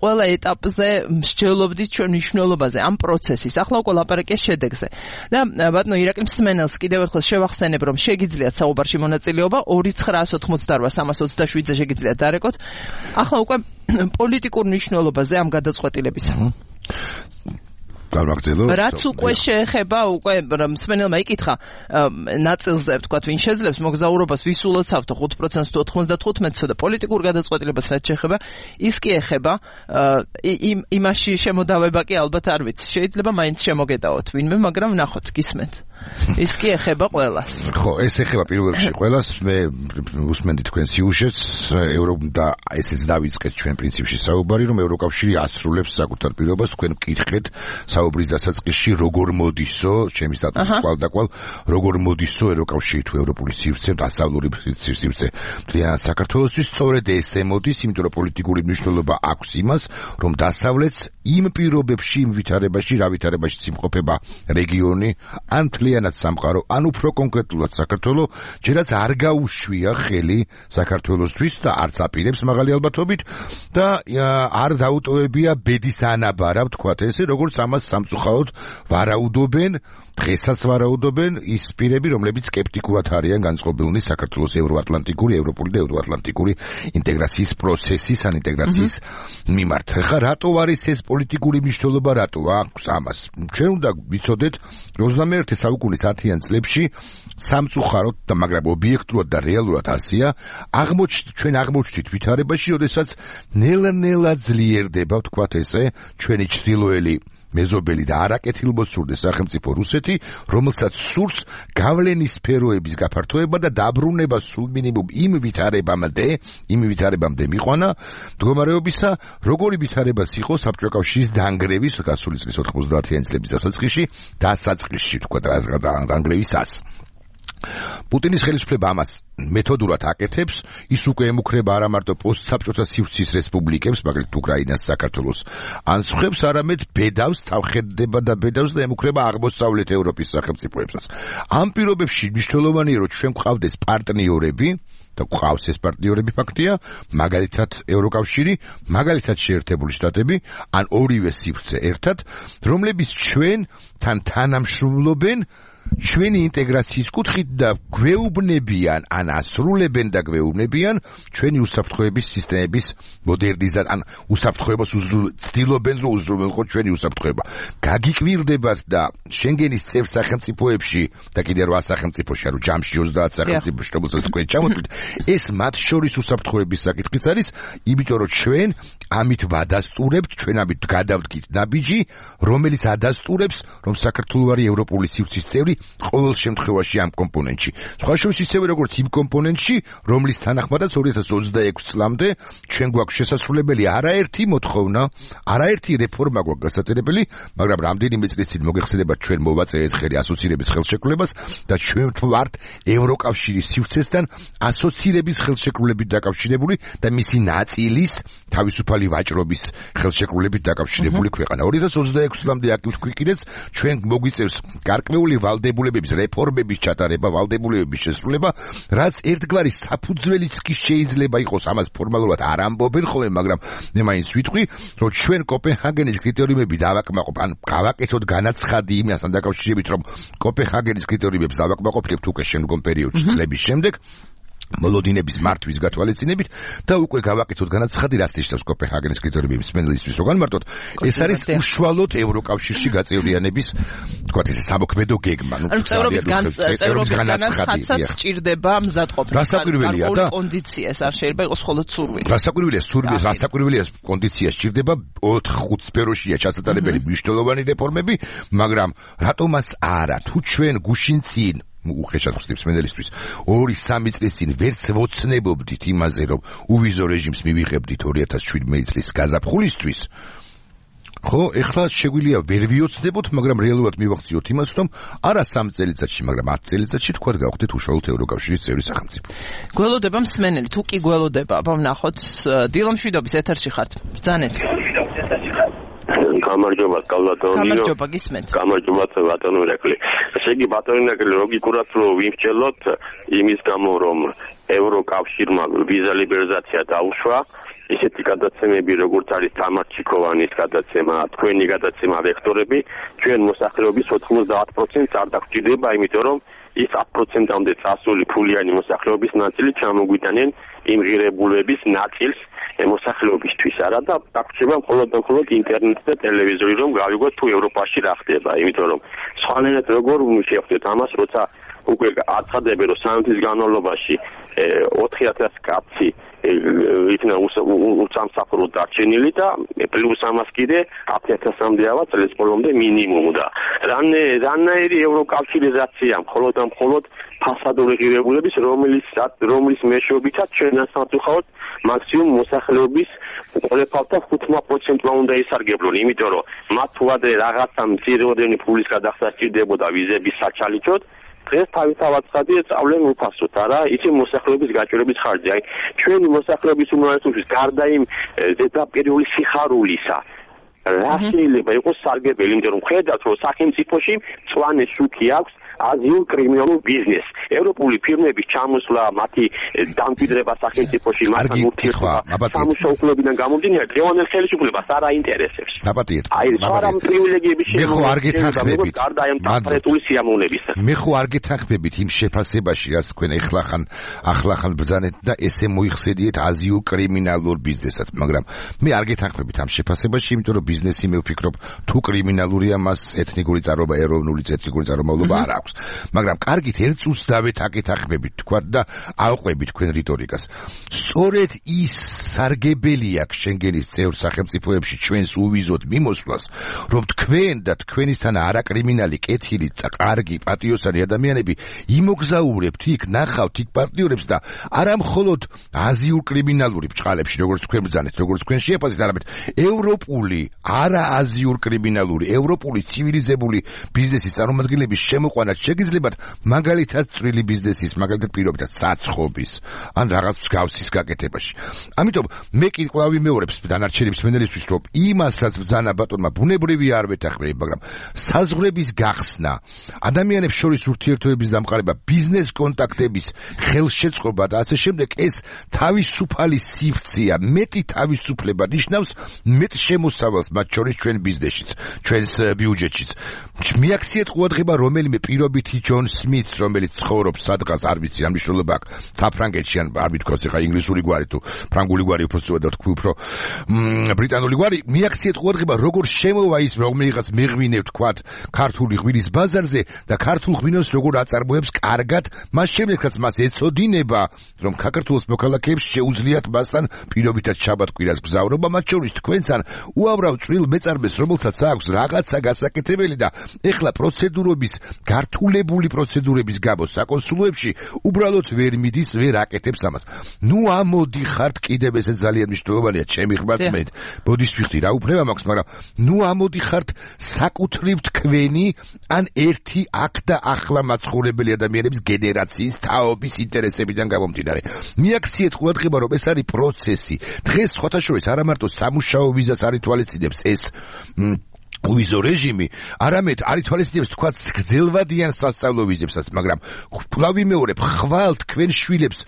ყველა ეტაპზე მსჯელობდით ჩვენ მნიშვნელობაზე ამ პროცესის. ახლა უკვე ლაპარაკია შედეგზე. და ბატონო ირაკლი მსმენელს კიდევ ერთხელ შევახსენებ, რომ შეგიძლიათ საუბარში მონაწილეობა 2988327-ზე შეგიძლიათ დარეკოთ. ახლა უკვე პოლიტიკურ მნიშვნელობაზე ამ გადაწყვეტილებისა. რაც უკვე შეეხება, უკვე მსმენელმა იკითხა ნაწილზე, ვთქვათ, ვინ შეძლებს მოგზაურობას, ვის ულოცავთ 5%-ს თუ 95%-ს და პოლიტიკურ გადაწყვეტილებას რაც შეეხება, ის კი ეხება იმაში შემოდავება კი ალბათ არ ვიცი. შეიძლება მაინც შემოგედაოთ ვინმე, მაგრამ ნახოთ, გისმენთ. ის კი ეხება ყველას. ხო, ეს ეხება პირველ რიგში ყველას. მე უსმენდი თქვენ სიუჟეტს, და ესეც დავიწყეთ ჩვენ პრინციპში საუბარი, რომ ევროკავშირი ასრულებს საკუთარ პირობას. თქვენ მკითხეთ საუბრის დასაწყისში, როგორ მოდისო, ჩემი სტატუსი კვალ-დაკვალ, როგორ მოდისო ევროკავშირი თუ ევროპული სივრცე, დასავლური სივრცე მთლიანად საქართველოსთვის. სწორედ ესე მოდის, იმიტომ რომ პოლიტიკური მნიშვნელობა აქვს იმას, რომ დასავლეთს იმ პირობებში, იმ ვითარებაში, რა ვითარებაშიც იმყოფება რეგიონი, ან მთლიანად სამყარო, ან უფრო კონკრეტულად საქართველო, ჯერაც არ გაუშვია ხელი საქართველოსთვის და არც აპირებს მაღალი ალბათობით და არ დაუტოვებია ბედის ანაბარა, ვთქვათ ესე, როგორც ამას სამწუხაროდ ვარაუდობენ, დღესაც ვარაუდობენ ის პირები, რომლებიც სკეპტიკურად არიან განწყობილნი საქართველოს ევროატლანტიკური, ევროპული და ევროატლანტიკური ინტეგრაციის პროცესის, ან ინტეგრაციის მიმართ. ხა რატო არის ეს პოლიტიკური მნიშვნელობა, რატო აქვს ამას? ჩვენ უნდა ვიცოდეთ 21 საუკუნის 10-იან წლებში სამწუხაროდ და მაგრამ ობიექტურად და რეალურად ასია, ჩვენ აღმოჩნდით ვითარებაში, როდესაც ნელა-ნელა ძლიერდება, ვთქვათ ესე, ჩვენი ჩრდილოელი მეზობელი და არაკეთილმოსურნე სახელმწიფო რუსეთი, რომელსაც სურს გავლენის სფეროების გაფართოება და დაბრუნება სულ მინიმუმ იმ ვითარებამდე მიყვანა მდგომარეობისა, როგორი ვითარებას იყო საბჭოთა კავშირის დანგრევის გასული წლის 90-იან წლების დასაწყისში, თქვა დანგრევისას. პუტინის ხელისუფლება ამას მეთოდურად აკეთებს, ის უკვე ემუქრება არა მარტო პოსტსაბჭოთა სივრცის რესპუბლიკებს, მაგალითად უკრაინას, საქართველოს, ან სხვებს, არამედ ბედავს, თავხედდება და ბედავს და ემუქრება აღმოსავლეთ ევროპის სახელმწიფოებსაც. ამ პირობებში მნიშვნელოვანია, რომ ჩვენ გვყავდეს პარტნიორები და გვყავს ეს პარტნიორები ფაქტია, მაგალითად ევროკავშირი, მაგალითად შეერთებული შტატები, ან ორივე სივრცე ერთად, რომლებიც ჩვენთან თანამშრომლობენ ჩვენი ინტეგრაციის კუთხით და გვეუბნებიან, ან ასრულებენ და გვეუბნებიან ჩვენი უსაფრთხოების სისტემების მოდერნიზაციას, ან უსაფრთხოებას ცდილობენ, რომ უზრუნველყოთ ჩვენი უსაფრთხოება. გაგიკვირდებათ და შენგენის წევრ სახელმწიფოებში და კიდევ 8 სახელმწიფოში, ანუ ჯამში 30 სახელმწიფოში, რომელსაც თქვენ ჩამოთვლით, ეს მათ შორის უსაფრთხოების საკითხიც არის, იმიტომ რომ ჩვენ ამით ვადასტურებთ, ჩვენ ამით გადავდგით ნაბიჯი, რომელიც ადასტურებს, რომ საქართველო არის ევროპული სივრცის წევრი ყოველ შემთხვევაში ამ კომპონენტში. სხვა შორის ისევე როგორც იმ კომპონენტში, რომლის თანახმადაც 2026 წლამდე ჩვენ გვაქვს შესასრულებელი არაერთი მოთხოვნა, არაერთი რეფორმა გვაქვს გასატერებელი, მაგრამ რამდენიმე წლის წინ მოგეხსენებათ ჩვენ მოვაწერეთ ხელი ასოცირების ხელშეკრულებას და ჩვენ ვართ ევროკავშირის სივრცესთან ასოცირების ხელშეკრულებით დაკავშირებული და მისი ნაწილის თავისუფალი ვაჭრობის ხელშეკრულებით დაკავშირებული ქვეყანა. 2026 წლამდე აქ ვქვიქირეთ, ჩვენ მოგვიწევს გარკვეული ვალდებულებების რეფორმების ჩატარება, ვალდებულებების შესრულება, რაც ერთგვარი საფუძველიც კი შეიძლება იყოს, ამას ფორმალურად არ ამბობენ ხოლმე, მაგრამ მე მაინც ვიტყვი, რომ ჩვენ კოპენჰაგენის კრიტერიუმები დავაკმაყოფ, ან გავაკეთოთ განაცხადი იმასთან დაკავშირებით, რომ კოპენჰაგენის კრიტერიუმებს დავაკმაყოფილებთ უკვე შემდგომ პერიოდში წლების შემდეგ. მოლოდინების მართვის გათვალისწინებით და უკვე გავაკეთოთ განაცხადი, რაც ნიშნავს კოპენჰაგენის კრიტერიუმების მენელისთვის რო განმარტოთ, ეს არის უშუალოდ ევროკავშირში გაწევრიანების, თქვათ ესე სამოქმედო გეგმა, ანუ წევრობის განაცხადსაც სჭირდება მზადყოფნა. რასაკვირველია და კონდიციას არ შეიძლება იყოს მხოლოდ სურვილი. რასაკვირველია კონდიცია სჭირდება 4-5 სფეროშია ჩასატარებელი მნიშვნელოვანი რეფორმები, მაგრამ რატომაც არა, თუ ჩვენ გუშინ წინ უხეშად ხსნებს მენელისთვის 2-3 წლის წინ ვერც ვოცნებობდით იმაზე, რომ უვიზო რეჟიმს მივიღებდით 2017 წლის გაზაფხულისთვის, ხო, ეხლა შეგვიძლია ვერ ვიოცნებოთ, მაგრამ რეალურად მივახციოთ იმას, რომ არა 3 წელიწადში, მაგრამ 10 წელიწადში თქვათ გავხდეთ უშუალოდ ევროკავშირის წევრი სახელმწიფო. გველოდება მსმენელი, თუ კი გველოდება, ვნახოთ, დილო მშვიდობის ეთერში ხართ. ბრძანეთ. გამარჯობა კალვატონიო. გამარჯობა გისმენთ. გამარჯობა ბატონო ირაკლი. ესე იგი ბატონო ირაკლი ლოგიკურად რომ ვიმსჯელოთ იმის გამო რომ ევროკავშირმა ვიზა ლიბერალიზაცია დაუშვა, ისეთი გადაცემები როგორც არის თამარ ჩიქოვანის გადაცემა, თქვენი გადაცემა ვექტორები, ჩვენ მოსახლეობის 90% არ დაგჭირდება, იმიტომ რომ ის 10%-მდე წასული ფულიანი მოსახლეობის ნაწილი ჩამოგვიტანენ იმ ღირებულების ნაწილს მოსახლეობისთვის არა და დაგჭირდება მხოლოდ ინტერნეტი და ტელევიზორი, რომ გავიგოთ თუ ევროპაში რა ხდება, იმიტომ რომ სხვანაირად როგორ შევხვდეთ ამას, როცა უკვე აცხადებენ, რომ 3 თვის განმავლობაში 4000 კაცი იქნა უსამსახურო დარჩენილი და პლუს ამას კიდე 10000-მდე ავა წლის ბოლომდე მინიმუმ და რანაირი ევროკავშირიზაცია მხოლოდ ფასადური ღირებულების, რომლის მეშვეობითაც ჩვენ ასამწუხაროდ მაქსიმუმ მოსახლეობის ყოლეფალთა 5%-მა უნდა ისარგებლონ, იმიტომ რომ მათ თუ ადრე რაღაცა მცირეოდენი ფულის გადახდა სჭირდებოდა ვიზების საჩალიჩოდ, დღეს თავისთავად ცხადია სწავლენ უფასოდ, არა, იცი მოსახლეობის გაჭირების ხარჯი. აი, ჩვენი მოსახლეობის უმრავლესობის გარდა იმ ზედაპირული სიხარულისა, რა შეიძლება იყოს სარგებელი, იმიტომ რომ ხედავთ, რომ სახელმწიფოში მწვანე შუქი აქვს აზიურ კრიმინალურ ბიზნესს. ევროპული ფირმების ჩამოსვლა, მათი დამკვიდრება სახელმწიფოში, მათთან ურთიერთობა სამუშაო კლუბიდან გამომდინარე, დღევანდელ ხელისუფლებას არ აინტერესებს. აი, სხვა პრივილეგიების შეგეხებით, გარდა ამ დაფარეტული სიამოვნებისა. მე ხო არ გეთანხმებით იმ შეფასებაში, რაც თქვენ ახლახან ბრძანეთ და ესე მოიხსენიეთ აზიურ კრიმინალურ ბიზნესად, მაგრამ მე არ გეთანხმებით ამ შეფასებაში, იმიტომ რომ ბიზნესი მე ვფიქრობ, თუ კრიმინალურია, მას ეთნიკური წარმოება, ეროვნული წარმომავლობა არ აქვს. მაგრამ კარგით ერთ წუთს დავეთანხმებით თქვა და ავყვებით თქვენ რიტორიკას. სწორედ ის სარგებელი აქვს შენგენის წევრ სახელმწიფოებში ჩვენს უვიზოდ მიმოსვლას, რომ თქვენ და თქვენისთან არაკრიმინალი, კეთილი, კარგი, პატიოსანი ადამიანები იმოგზაურებთ იქ, ნახავთ იქ პარტნიორებს და არა მხოლოდ აზიურ კრიმინალური ბჭყალებში, როგორც თქვენ ბრძანეთ, როგორც თქვენ შეაფასეთ, არამედ ევროპული, არა აზიურ კრიმინალური, ევროპული ცივილიზებული ბიზნესის წარმომადგენლების შემოყვანა შეგიძლიათ მაგალითად წვრილი ბიზნესის, მაგალითად პირობითად საცხობის ან რაღაც მსგავსის გაკეთებაში. ამიტომ მე კი კვლავ ვიმეორებს დანარჩენი მსმენელისთვის, რომ იმას, რაც ბრძანა ბატონმა ბუნებრივი არ ვეთანხმები, მაგრამ საზღვრების გახსნა, ადამიანებს შორის ურთიერთობების დამყარება, ბიზნეს კონტაქტების ხელშეწყობა და ასე შემდეგ, ეს თავისუფალი სივრცეა, მეტი თავისუფლება ნიშნავს მეტ შემოსავალს მათ შორის ჩვენ ბიზნესშიც, ჩვენს ბიუჯეტშიც. მიაქციეთ ყურადღება რომელიმე პირობითი ჯონ სმითს, რომელიც ცხოვრობს სადღაც, არ ვიცი, ამ მნიშვნელობა აქვს საფრანგეთში, ან არ ვთქვას ახლა ინგლისური გვარი თუ ფრანგული გვარი უფრო სწორად ვთქვი, უფრო ბრიტანული გვარი, მიაქციეთ ყურადღება როგორ შემოვა ის რომელიღაც მეღვინე ვთქვათ ქართული ღვინის ბაზარზე და ქართულ ღვინოს როგორ აწარმოებს კარგად, მას შემდეგაც მას ეწოდინება, რომ საქართველოს მოქალაქეებს შეუძლიათ მასთან პირობითად შაბათ-კვირას გზავრობა, მათ შორის თქვენთან უამრავ წვრილ მეწარმეს, რომელსაც აქვს რაღაცა გასაკეთებელი და ეხლა პროცედურების, გართულებული პროცედურების გამო საკონსულოებში უბრალოდ ვერ მიდის, ვერ აკეთებს ამას. ნუ ამოდიხართ, კიდევ ესე ძალიან მნიშვნელოვანია ჩემი ხმარწმენით. ბოდის ვიხდი რა უფლება მაქვს, მაგრამ ნუ ამოდიხართ საკუთრივ თქვენი ან ერთი აქ და ახლა მაცხოვრებელი ადამიანების გენერაციის თაობის ინტერესებიდან გამომდინარე. მიაქციეთ ყურადღება, რომ ეს არის პროცესი. დღეს სხვათა შორის არა მარტო სამუშაო ვიზას არ ითვალისწინებს ეს ვიზო რეჟიმი, არამედ არ ითვალისწინებს თქვა გრძელვადიან სასწავლო ვიზებსაც, მაგრამ კვლავ ვიმეორებ, ხვალ თქვენ შვილებს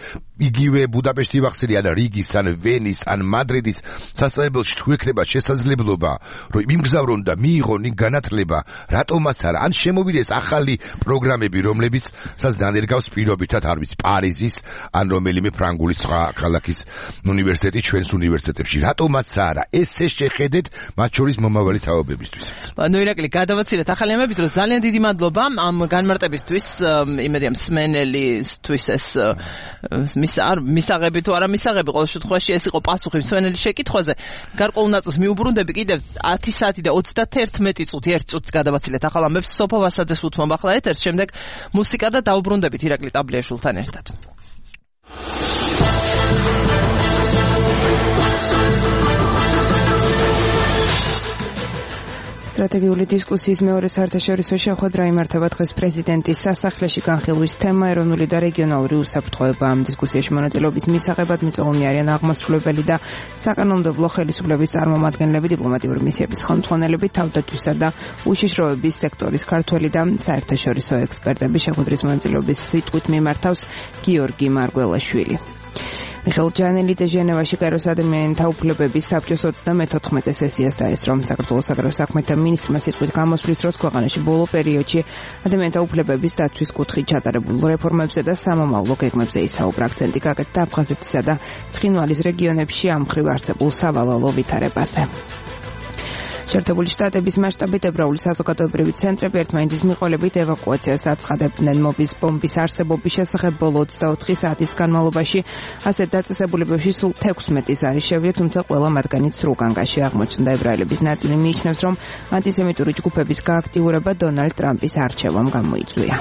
იგივე ბუდაპეშტი ვახსენე ან რიგის ან ვენის ან მადრიდის სასწავლებელში თუ ექნება შესაძლებლობა, რომ იმგზავრონ და მიიღონ განათლება, რატომაც არა, ან შემოვიდეს ახალი პროგრამები, რომლებიც σας დანერგავს პირობითად, არ ვიცი, პარიზის ან რომელიმე ფრანგული სხვა ქალაქის უნივერსიტეტი ჩვენს უნივერსიტეტებში, რატომაც არა, ესე შეხედეთ მათ შორის მომავალი თაობებისთვის. ნუ ირაკლი, გადავაცილეთ ახალი ამების დროს. ძალიან დიდი მადლობა ამ განმარტებისთვის, იმედია მსმენელისთვის ეს მისაღები თუ არა მისაღები, ყოველ შემთხვევაში ეს იყო პასუხი მსმენელის შეკითხვაზე. გარკვეულ ნაწილს მიუბრუნდები კიდევ 10 საათი და 31 წუთი, 1 წუთს გადავაცილეთ ახალ ამბებს. სოფო ვასაძეს უთმობ ახლა ეთერს, შემდეგ მუსიკა და დაუბრუნდებით ირაკლი ტაბლიაშვილთან ერთად. სტრატეგიული დისკუსიის მეორე საერთაშორისო შეხვედრა იმართება დღეს პრეზიდენტის სასახლეში. განხილვის თემა ეროვნული და რეგიონალური უსაფრთხოება. ამ დისკუსიაში მონაწილეობის მისაღებად მიწვეული არიან აღმასრულებელი და საკანონმდებლო ხელისუფლების წარმომადგენლები, დიპლომატიური მისიების ხელმძღვანელები, თავდაცვისა და უშიშროების სექტორის ქართველი და საერთაშორისო ექსპერტები. შეხვედრის მონაწილეობის სიტყვით მიმართავს გიორგი მარგველაშვილი. მიხეილ ჯანელიძე ჟენევაში კაიროს ადამიანთა უფლებების საბჭოს 34 სესიას დაესწრო. საქართველოს საგარეო საქმეთა მინისტრმა სიტყვით გამოსვლის დროს ქვეყანაში ბოლო პერიოდში ადამიანთა უფლებების დაცვის კუთხით ჩატარებულ რეფორმებზე და სამომავლო გეგმებზე ისაუბრა. აქცენტი გაკეთდა აფხაზეთისა და ცხინვალის რეგიონებში ამ მხრივ არსებულ სავალალო ვითარებაზე. შეერთებული შტატების მასშტაბით ებრაული საზოგადოებრივი ცენტრები ერთმანეთის მიყოლებით ევაკუაციას აცხადებდნენ. მობის ბომბის არსებობის შესახებ ბოლო 24 საათის განმავლობაში ასეთ დაწესებულებებში სულ 16 არის შევლილი, თუმცა ყველა მათგანი სრულგანგაში აღმოჩნდა. ებრაელების ნაწილი მიიჩნევს, რომ ანტისემიტური ჯგუფების გააქტიურება დონალდ ტრამპის არჩევამ გამოიწვია.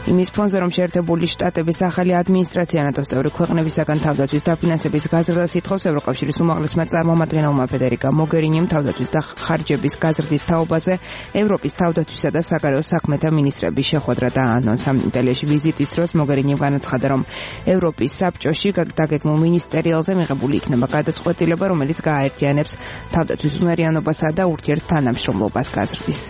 იმის ფონზე, რომ შეერთებული შტატების ახალი ადმინისტრაცია ნატოს წევრი ქვეყნებისაგან თავდაცვის დაფინანსების გაზრდას ითხოვს, ევროკავშირის უმაღლესმა წარმომადგენელმა ფედერიკა მოგერინიმ თავდაცვის და ხარჯების გაზრდის თაობაზე ევროპის თავდაცვისა და საგარეო საქმეთა მინისტრების შეხვედრა დაანონსა. იტალიაში ვიზიტის დროს მოგერინიმ განაცხადა, რომ ევროპის საბჭოში დაგეგმულ მინისტერიალზე მიღებული იქნება გადაწყვეტილება, რომელიც გააერთიანებს თავდაცვის უნარიანობასა და ურთიერთთანამშრომლობას გაზრდის.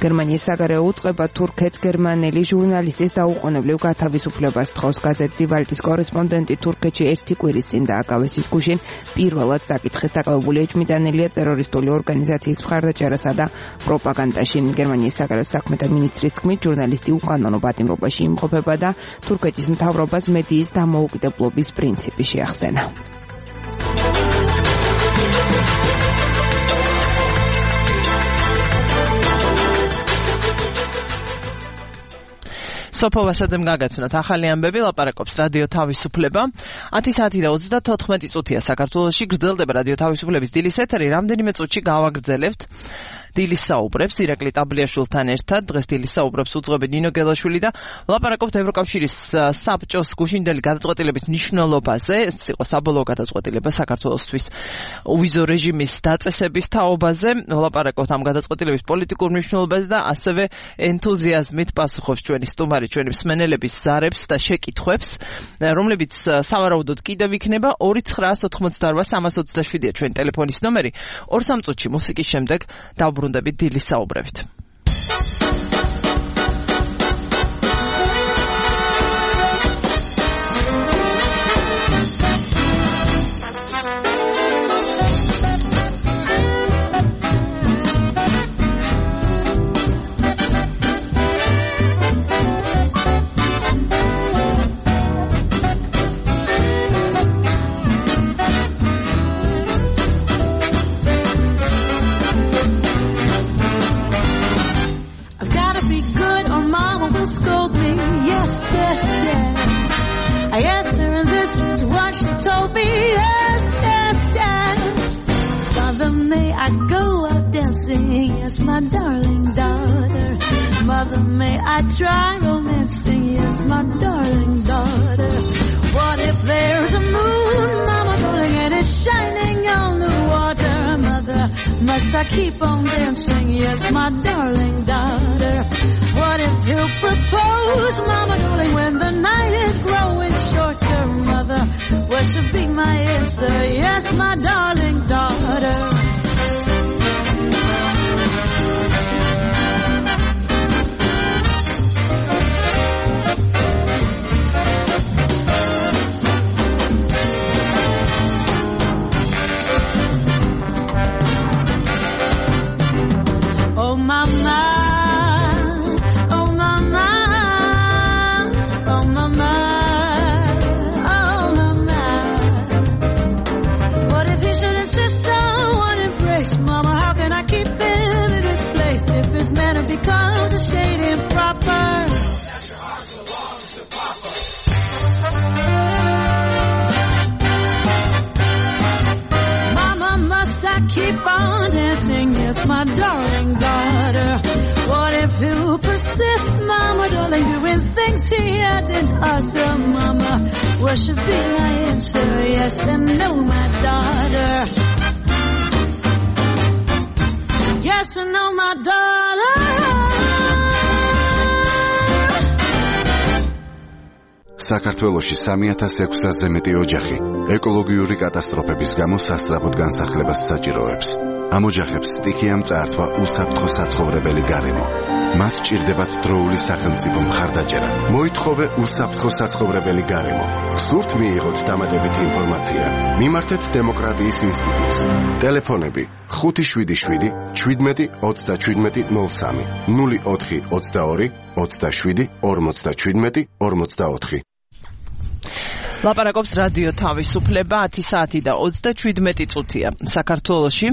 გერმანიის საგარეო უწყება თურქეთს გერმანელი ჟურნალისტის დაუყოვნებლივ გათავისუფლებას თხოვს. გაზეთ დი ვალტის კორესპონდენტი თურქეთში ერთი კვირის წინ დააკავეს ის გუშინ პირველად დაკითხეს. დაკავებული ეჭვმიტანილია ტერორისტული ორგანიზაციის მხარდაჭერასა და პროპაგანდაში. გერმანიის საგარეო საქმეთა მინისტრის თქმით, ჟურნალისტი უკანონო პატიმრობაში იმყოფება და თურქეთის მთავრობას მედიის დამოუკიდებლობის პრინციპი შეახსენა. სოფო ვასაძემ გაგაცნოთ ახალი ამბები, ლაპარაკობს რადიო თავისუფლება. 10 საათი და 34 წუთია საქართველოში გრძელდება რადიო თავისუფლების დილის ეთერი. რამდენიმე წუთში გავაგრძელებთ დილის საუბრებს ირაკლი ტაბლიაშვილთან ერთად. დღეს დილის საუბრებს უძღვები ნინო გელაშვილი და ვლაპარაკობთ ევროკავშირის საბჭოს გუშინდელი გადაწყვეტილების მნიშვნელობაზე. ეს იყო საბოლოო გადაწყვეტილება საქართველოსთვის უვიზო რეჟიმის დაწესების თაობაზე. ვლაპარაკობთ ამ გადაწყვეტილების პოლიტიკურ მნიშვნელობაზე და ასევე ენთუზიაზმით პასუხობს ჩვენი სტუმარი, ჩვენი მსმენელების ზარებს და შეკითხვებს, რომლებიც სავარაუდოდ კიდევ იქნება. 2988327-ია ჩვენი ტელეფონის ნომერი. 2-3 წუთში მუსიკის შემდეგ დავბრუნდებით დილის საუბრებით. Told me yes, yes, yes. Mother, may I go out dancing? Yes, my darling daughter. Mother, may I try romancing? Yes, my darling daughter. What if there's a moon, mama, darling, and it's shining on the water? Mother, must I keep on dancing? Yes, my darling daughter. What if he'll propose, mama, darling, when the night is growing shorter? Mother, what should be my answer? Yes, my darling daughter. Oh, mama. Because it's shade improper. Mama, must I keep on dancing? Yes, my darling daughter. What if you persist, mama, darling, doing things he hadn't utter? Mama, what should be my answer? Yes and no, my daughter. Yes and no, my daughter. საქართველოში 3600-ზე მეტი ოჯახი ეკოლოგიური კატასტროფების გამო სასწრაფოდ განსახლებას საჭიროებს. ამ ოჯახებს სტიქიამ წაართვა უსაფრთხო საცხოვრებელი გარემო. მათ ჭირდებათ დროული სახელმწიფო მხარდაჭერა. მოითხოვე უსაფრთხო საცხოვრებელი გარემო. გსურთ მიიღოთ დამატებითი ინფორმაცია? მიმართეთ დემოკრატიის ინსტიტუტს. ტელეფონები 577 17 37 03 04 22 27 57 44. ლაპარაკობს რადიო თავისუფლება 10 საათი და 37 წუთია საქართველოში.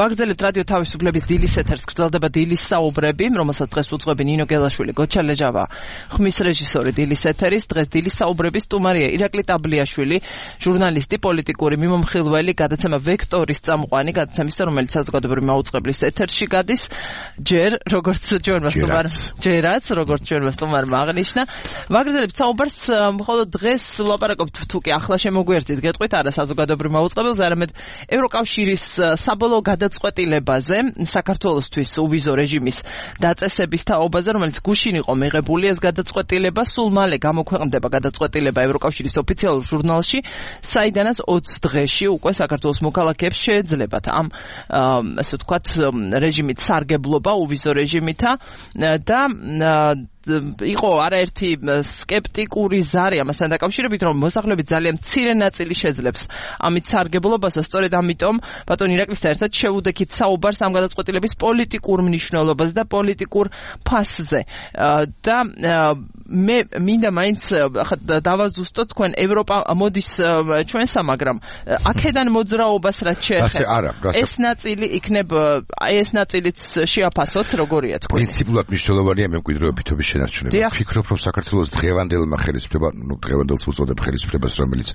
ვაგრძელებთ რადიო თავისუფლების დილის ეთერს, გრძელდება დილის საუბრები, რომელსაც დღეს უძღვები ნინო გელაშვილი, გოჩა ლეჯავა, ხმის რეჟისორი დილის ეთერის. დღეს დილის საუბრების სტუმარია ირაკლი ტაბლიაშვილი, ჟურნალისტი, პოლიტიკური მიმომხილველი, გადაცემა ვექტორის წამყვანი, გადაცემის, რომელიც საზოგადოებრივი მაუწყებლის ეთერში გადის. ჯერ როგორც ჩვენმა სტუმარმა აღნიშნა, ვაგრძელებთ საუბარს, მხოლოდ დღეს ლაპარაკობთ თუკი ახლა შემოგვიერთით გეტყვით არა საზოგადოებრივ მაუწყებელზე, არამედ ევროკავშირის საბოლოო გადაწყვეტილებაზე, საქართველოსთვის უვიზო რეჟიმის დაწესების თაობაზე, რომელიც გუშინ იყო მიღებული ეს გადაწყვეტილება, სულ მალე გამოქვეყნდება გადაწყვეტილება ევროკავშირის ოფიციალურ ჟურნალში, საიდანაც 20 დღეში უკვე საქართველოს მოქალაქეებს შეეძლებათ ამ ასე ვთქვათ რეჟიმით სარგებლობა უვიზო რეჟიმითა და იყო არაერთი სკეპტიკური ზარი ამასთან დაკავშირებით, რომ მოსახლეობის ძალიან მცირე ნაწილი შეძლებს ამით სარგებლობას, სწორედ ამიტომ ბატონ ირაკლისთან ერთად შევუდექით საუბარს ამ გადაწყვეტილების პოლიტიკურ მნიშვნელობაზე და პოლიტიკურ ფასზე. და მე მინდა მაინც დავაზუსტოთ თქვენ ევროპა მოდის ჩვენსა, მაგრამ აქედან მოძრაობას რაც შეეხება ეს ნაწილი იქნებ ეს ნაწილიც შეაფასოთ როგორია თქვენ პრინციპულად მნიშვნელოვანია მემკვიდრეობითობის შენარჩუნება ვფიქრობ რომ საქართველოს დღევანდელმა ხელისუფლება დღევანდელს უწოდებ ხელისუფლებას რომელიც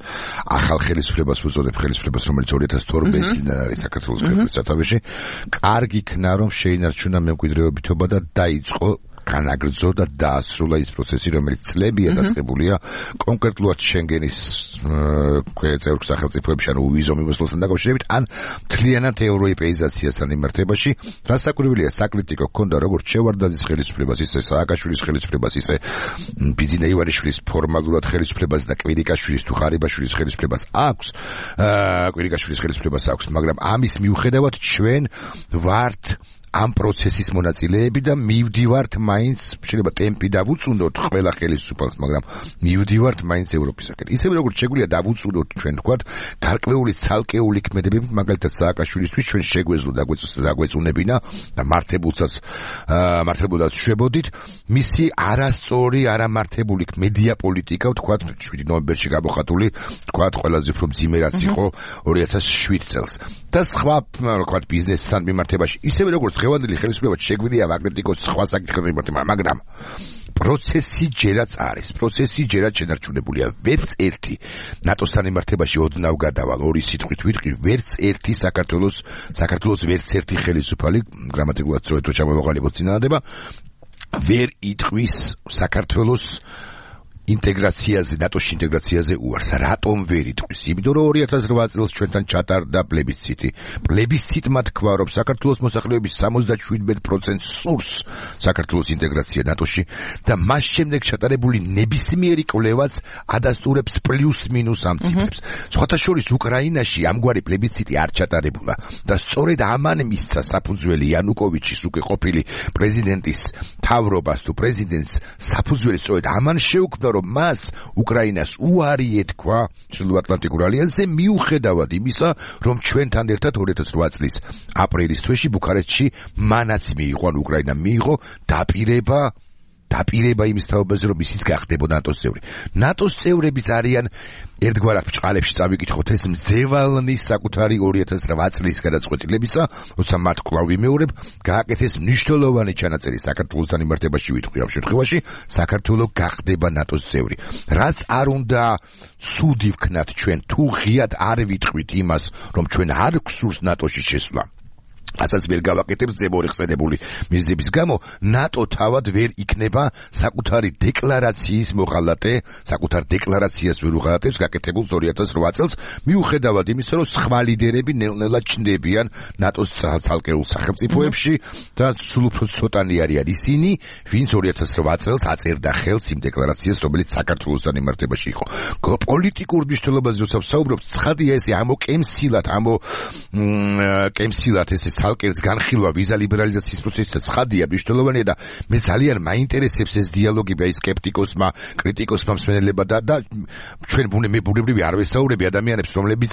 ახალ ხელისუფლებას უწოდებ ხელისუფლებას რომელიც 2012 წლიდან არის საქართველოს ქვეყნის სათავეში კარგი იქნა რომ შეინარჩუნა მემკვიდრეობითობა და დაიწყო განაგრძო და დაასრულა ის პროცესი, რომელიც წლებია დაწყებულია კონკრეტულად შენგენის წევრ სახელმწიფოებში, ანუ ვიზო მიმოსვლასთან დაკავშირებით, ან მთლიანად ევროეპეიზაციასთან მიმართებაში, რაც საკურვილია საკრიტიკო ჰქონდა როგორც შევარდაძის ხელისუფლებას, ისე სააკაშვილის ხელისუფლებას, ისე ბიძინა ივანიშვილის ფორმალურად ხელისუფლებას და კვირიკაშვილის თუ ხარიბაშვილის ხელისუფლებას აქვს, კვირიკაშვილის ხელისუფლებას აქვს, მაგრამ ამის მიუხედავად ჩვენ ვართ ამ პროცესის მონაწილეები და მივდივართ მაინც შეიძლება ტემპი დავუწუნოთ ყველა ხელისუფალს, მაგრამ მივდივართ მაინც ევროპისაკენ. ისევე როგორც შეგვიძლია დავუწუნოთ ჩვენ თქვათ გარკვეული ცალკეული ქმედებებით, მაგალითად სააკაშვილისთვის ჩვენ შეგვეძლო დაგვეწუნებინა და მართებულაც შვებოდით მისი არასწორი არამართებული მედია პოლიტიკა, თქვათ 7 ნოემბერში გამოხატული, თქვათ ყველაზე უფრო მძიმე რაც იყო 2007 წელს. და სხვა თქვათ ბიზნესთან მიმართებაში, ისევე როგორც დღევანდელი ხელისუფლება შეგვიძლია ვაკრიტიკოს სხვა საკითხებზე მიმართება, მაგრამ პროცესი ჯერაც არის, პროცესი ჯერაც შენარჩუნებულია. ვერც ერთი ნატოსთან მიმართებაში ოდნავ გადავალ ორი სიტყვით ვიტყვი, ვერც ერთი საქართველოს ვერც ერთი ხელისუფალი გრამატიკულად სწორედ თუ ჩამოვაყალიბოთ წინადადება ვერ იტყვის საქართველოს ინტეგრაციაზე, ნატოში ინტეგრაციაზე უარს. რატომ ვერ იტყვის? იმიტომ რომ 2008 წელს ჩვენთან ჩატარდა პლებისციტი. პლებისციტმა თქვა, რომ საქართველოს მოსახლეობის 77% სურს საქართველოს ინტეგრაცია ნატოში და მას შემდეგ ჩატარებული ნებისმიერი კვლევაც ადასტურებს პლუს-მინუს ამ ციფრებს. სხვათა შორის უკრაინაში ამგვარი პლებისციტი არ ჩატარებულა და სწორედ ამან მისცა საფუძველი იანუკოვიჩის უკვე ყოფილი პრეზიდენტის თავრობას თუ პრეზიდენტს საფუძველი სწორედ ამან შეუქმნა რომ მას უკრაინას უარი ეთქვა ჩრდილოატლანტიკურ ალიანსზე მიუხედავად იმისა, რომ ჩვენთან ერთად 2008 წლის აპრილის თვეში ბუქარესტში მანაც მიიღო, ან უკრაინამ მიიღო დაპირება იმის თაობაზე, რომ ისიც გახდებოდა ნატოს წევრი. ნატოს წევრებიც არიან ერთგვარად ბჭყალებში წავიკითხოთ ეს მძევალნის საკუთარი 2008 წლის გადაწყვეტილებისა, როცა მათ კვლავ ვიმეორებ, გააკეთეს მნიშვნელოვანი ჩანაწერი საქართველოსთან მიმართებაში ვიტყვი ამ შემთხვევაში, საქართველო გახდება ნატოს წევრი. რაც არ უნდა ცუდი ვქნათ ჩვენ, თუ ღიად არ ვიტყვით იმას, რომ ჩვენ არ გვსურს ნატოში შესვლა. ასაც ვერ გავაკეთებ ზემორი ხსენებული მიზების გამო, ნატო თავად ვერ იქნება საკუთარი დეკლარაციის მოღალატე, საკუთარ დეკლარაციას ვერ უღალატებს გაკეთებულ 2008 წელს, მიუხედავად იმისა, რომ სხვა ლიდერები ნელ-ნელა ჩნდებიან ნატოს ცალკეულ სახელმწიფოებში და სულ უფრო ცოტანი არიან ისინი, ვინც 2008 წელს აწერდა ხელს იმ დეკლარაციას, რომელიც საქართველოსთან მიმართებაში იყო. პოლიტიკურ მნიშვნელობაზე როცა ვსაუბრობ, ცხადია ესე ამოკემსილად ესე ცალკეულს განხილვა ვიზა ლიბერალიზაციის პროცესის და ცხადია მნიშვნელოვანია და მე ძალიან მაინტერესებს ეს დიალოგი აი სკეპტიკოსმა, კრიტიკოსმა მსმენელებმა და ჩვენ ბუნებრივი არ ვესაუბრები ადამიანებს, რომლებიც